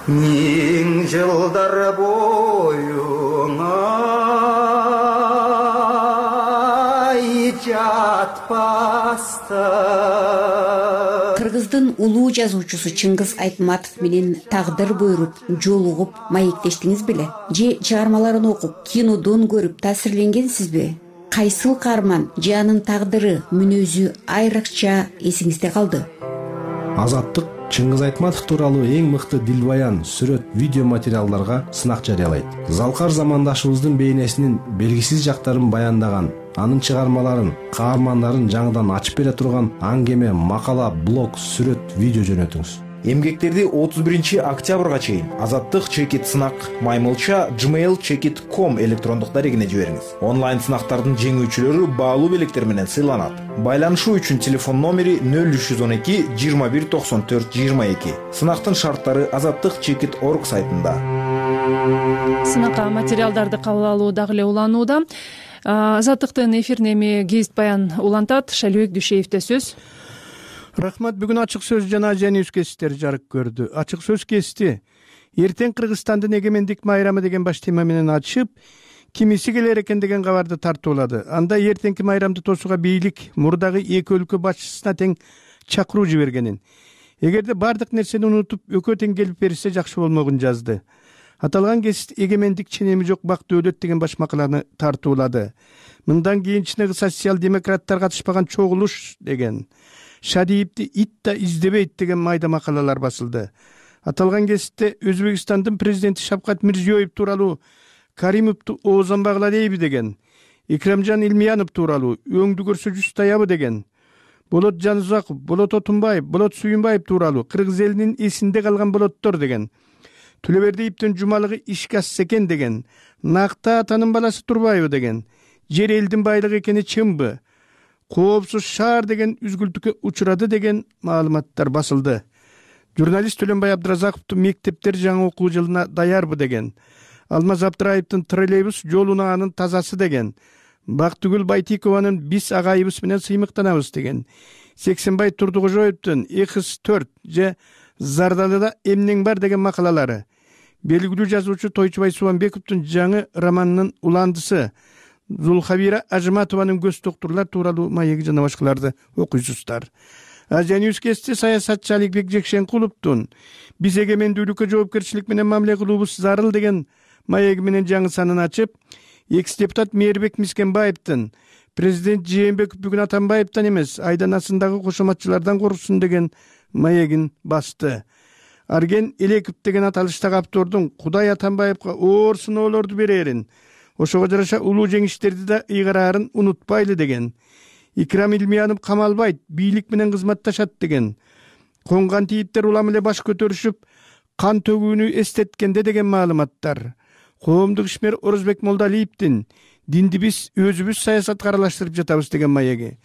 Миң жылдар боюңа жатпасты. Кыргыздын улуу жазуучусу Чыңгыз Айтматов менен тагдыр буйруп, жолугуп, маектештиңиз беле? Же чыгармаларын окуп, кинодон көрүп таасирленгенсизби? Кайсыл каарман же анын тагдыры, мүнөзү айрыкча эсиңизде калды? Азаттык Чыңгыз Айтматов тууралуу эң мыкты дилбаян, сүрөт, видео материалдарга сынак жарыялайт. Залкар замандашыбыздын бейнесинин белгисиз жактарын баяндаган, анын чыгармаларын, каармандарын жаңыдан ачып бере турган аңгеме, макала, блог, сүрөт, видео жөнөтүңүз. Эмгектерди 31-октябрга чейин Азаттык чекит сынак маймылча gmail.com электрондук дарегине жибериңиз. Онлайн сынактардын жеңүүчүлөрү баалуу белектер менен сыйланат. Байланышуу үчүн телефон номери 0312 21 94 22. Сынактын шарттары azattikchekit.org сайтында. Сынакка материалдарды кабыл алуу дагы эле уланууда. Азаттыктын эфирине эми гезит баян улантат. Шалибек Дүйшеевде сөз. Рахмат. Бүгүн ачык сөз жана Азия Ньюс кесиптери жарык көрдү. Ачык сөз кести эртең Кыргызстандын эгемендик майрамы деген баш тема менен ачып, кимиси келер экен деген кабарды тартуулады. Анда эртеңки майрамды тосууга бийлик мурдагы эки өлкө башчысына тең чакыруу жибергенин, эгерде бардык нерсени унутуп экөө тең келип берсе жакшы болмогун жазды. Аталган кесип эгемендик ченеми жок бак дөөлөт деген баш макаланы тартуулады. Мындан кийин чыныгы социал-демократтар катышпаган чогулуш деген, Шадиевди ит да издебейт деген майда макалалар басылды. Аталган кесипте Өзбекстандын президенти Шавкат Мирзиёев тууралуу Каримовду оозанбагыла дейби деген, Икрамжан Илмиянов тууралуу өңдү көрсө жүз таябы деген, Болот Жанузаков, Болот Отунбаев, Болот Суюнбаев тууралуу кыргыз элинин эсинде калган болоттор деген, Төлөбердиевдин жумалыгы ишке ашса экен деген, Накта атанын баласы Турбаева деген, жер элдин байлыгы экени чынбы, коопсуз шаар деген үзгүлтүккө учурады деген маалыматтар басылды. Журналист Төлөнбай Абдыразаковдун мектептер жаңы окуу жылына даярбы деген, Алмаз Абдыраевдин троллейбус жолуна анын тазасы деген, Бактыгүл Байтикованын биз агайыбыз менен сыймыктанабыз деген, Сексенбай Турдукожоевдун X4 же Зардалыда эмнең бар деген макалалары, белгилүү жазуучу Тойчубай Субанбековдун жаңы романынын уландысы Зулхабира Ажматованын көз доктурлар тууралуу маеги жана башкаларды окуйсуздар. Азия Ньюс кести саясатчы Аликбек Жекшенкуловдун биз эгемендүүлүккө жоопкерчилик менен мамиле кылуубуз зарыл деген маеги менен жаңы санын ачып, экс-депутат Мээрбек Мискенбаевдин президент Жээнбеков бүгүн Атамбаевден эмес, айданасындагы кошоматчылардан корксун деген маегин басты. Арген Элеков деген аталыштагы автордун Кудай Атамбаевга оор сыноолорду берерин, ошого жараша улуу жеңиштерди да ыйгараарын унутпайлы деген, Икрам Илмиянов камалбайт, бийлик менен кызматташат деген, коңган тийиптер улам эле баш көтөрүшүп, кан төгүүнү эстеткенде деген маалыматтар, коомдук ишмер Орозбек Молдалиевдин динди биз өзүбүз саясатка аралаштырып жатабыз деген маеги,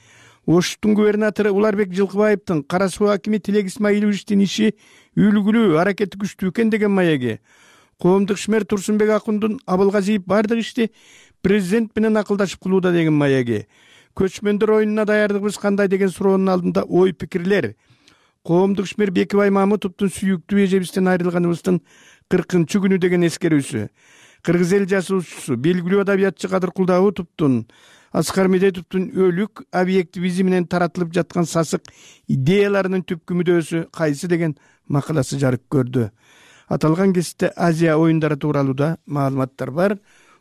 Оштун губернатору Уларбек Жылкыбаевдин Кара Суу акими Тилек Исмаиловичтин иши үлгүлүү, аракети күчтүү экен деген маеги, коомдук ишмер Турсунбек Акундун Абылгазиев бардык ишти президент менен акылдашып кылууда деген маеги, көчмөндөр оюнуна даярдыгыбыз кандай деген суроонун алдында ой пикирлер, коомдук ишмер Бекибай Мамытовдун сүйүктүү эжебизден айрылганыбыздын 40-күнү деген эскерүүсү, кыргыз эл жазуучусу белгилүү адабиятчы Кадыр Кулдаутовдун Аскар Медетовдун өлүк объективизм менен таратылып жаткан сасык идеяларынын түпкү мүдөөсү кайсы деген макаласы жарык көрдү. Аталган кесипте Азия оюндары тууралуу да маалыматтар бар.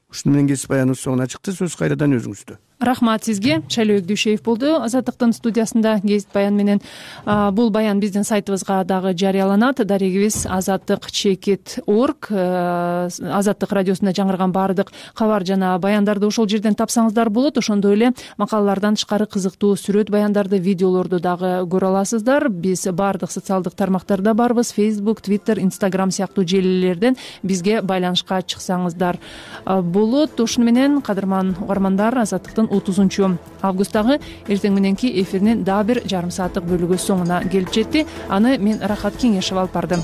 Ушуну менен кесип баяныбыз соңуна чыкты. Сөз кайрадан өзүңүздө. Рахмат сизге. Шайлообек Дүйшеев болду Азаттыктын студиясында гезит баян менен. Бул баян биздин сайтыбызга дагы жарыяланат. Дарегибиз azattik.org. Азаттык радиосунда жаңырган баардык кабар жана баяндарды ошол жерден тапсаңыздар болот. Ошондой эле макалалардан тышкары кызыктуу сүрөт баяндарды, видеолорду дагы көрө аласыздар. Биз баардык социалдык тармактарда барбыз. Facebook, Twitter, Instagram сыяктуу желилерден бизге байланышка чыксаңыздар болот. Ошону менен кадырман угармандар, Азаттыктын 30 августтагы эртең мененки эфиринин дагы бир жарым сааттык бөлүгү соңуна келип жетти. Аны мен Рахат Кеңешев алып бардым.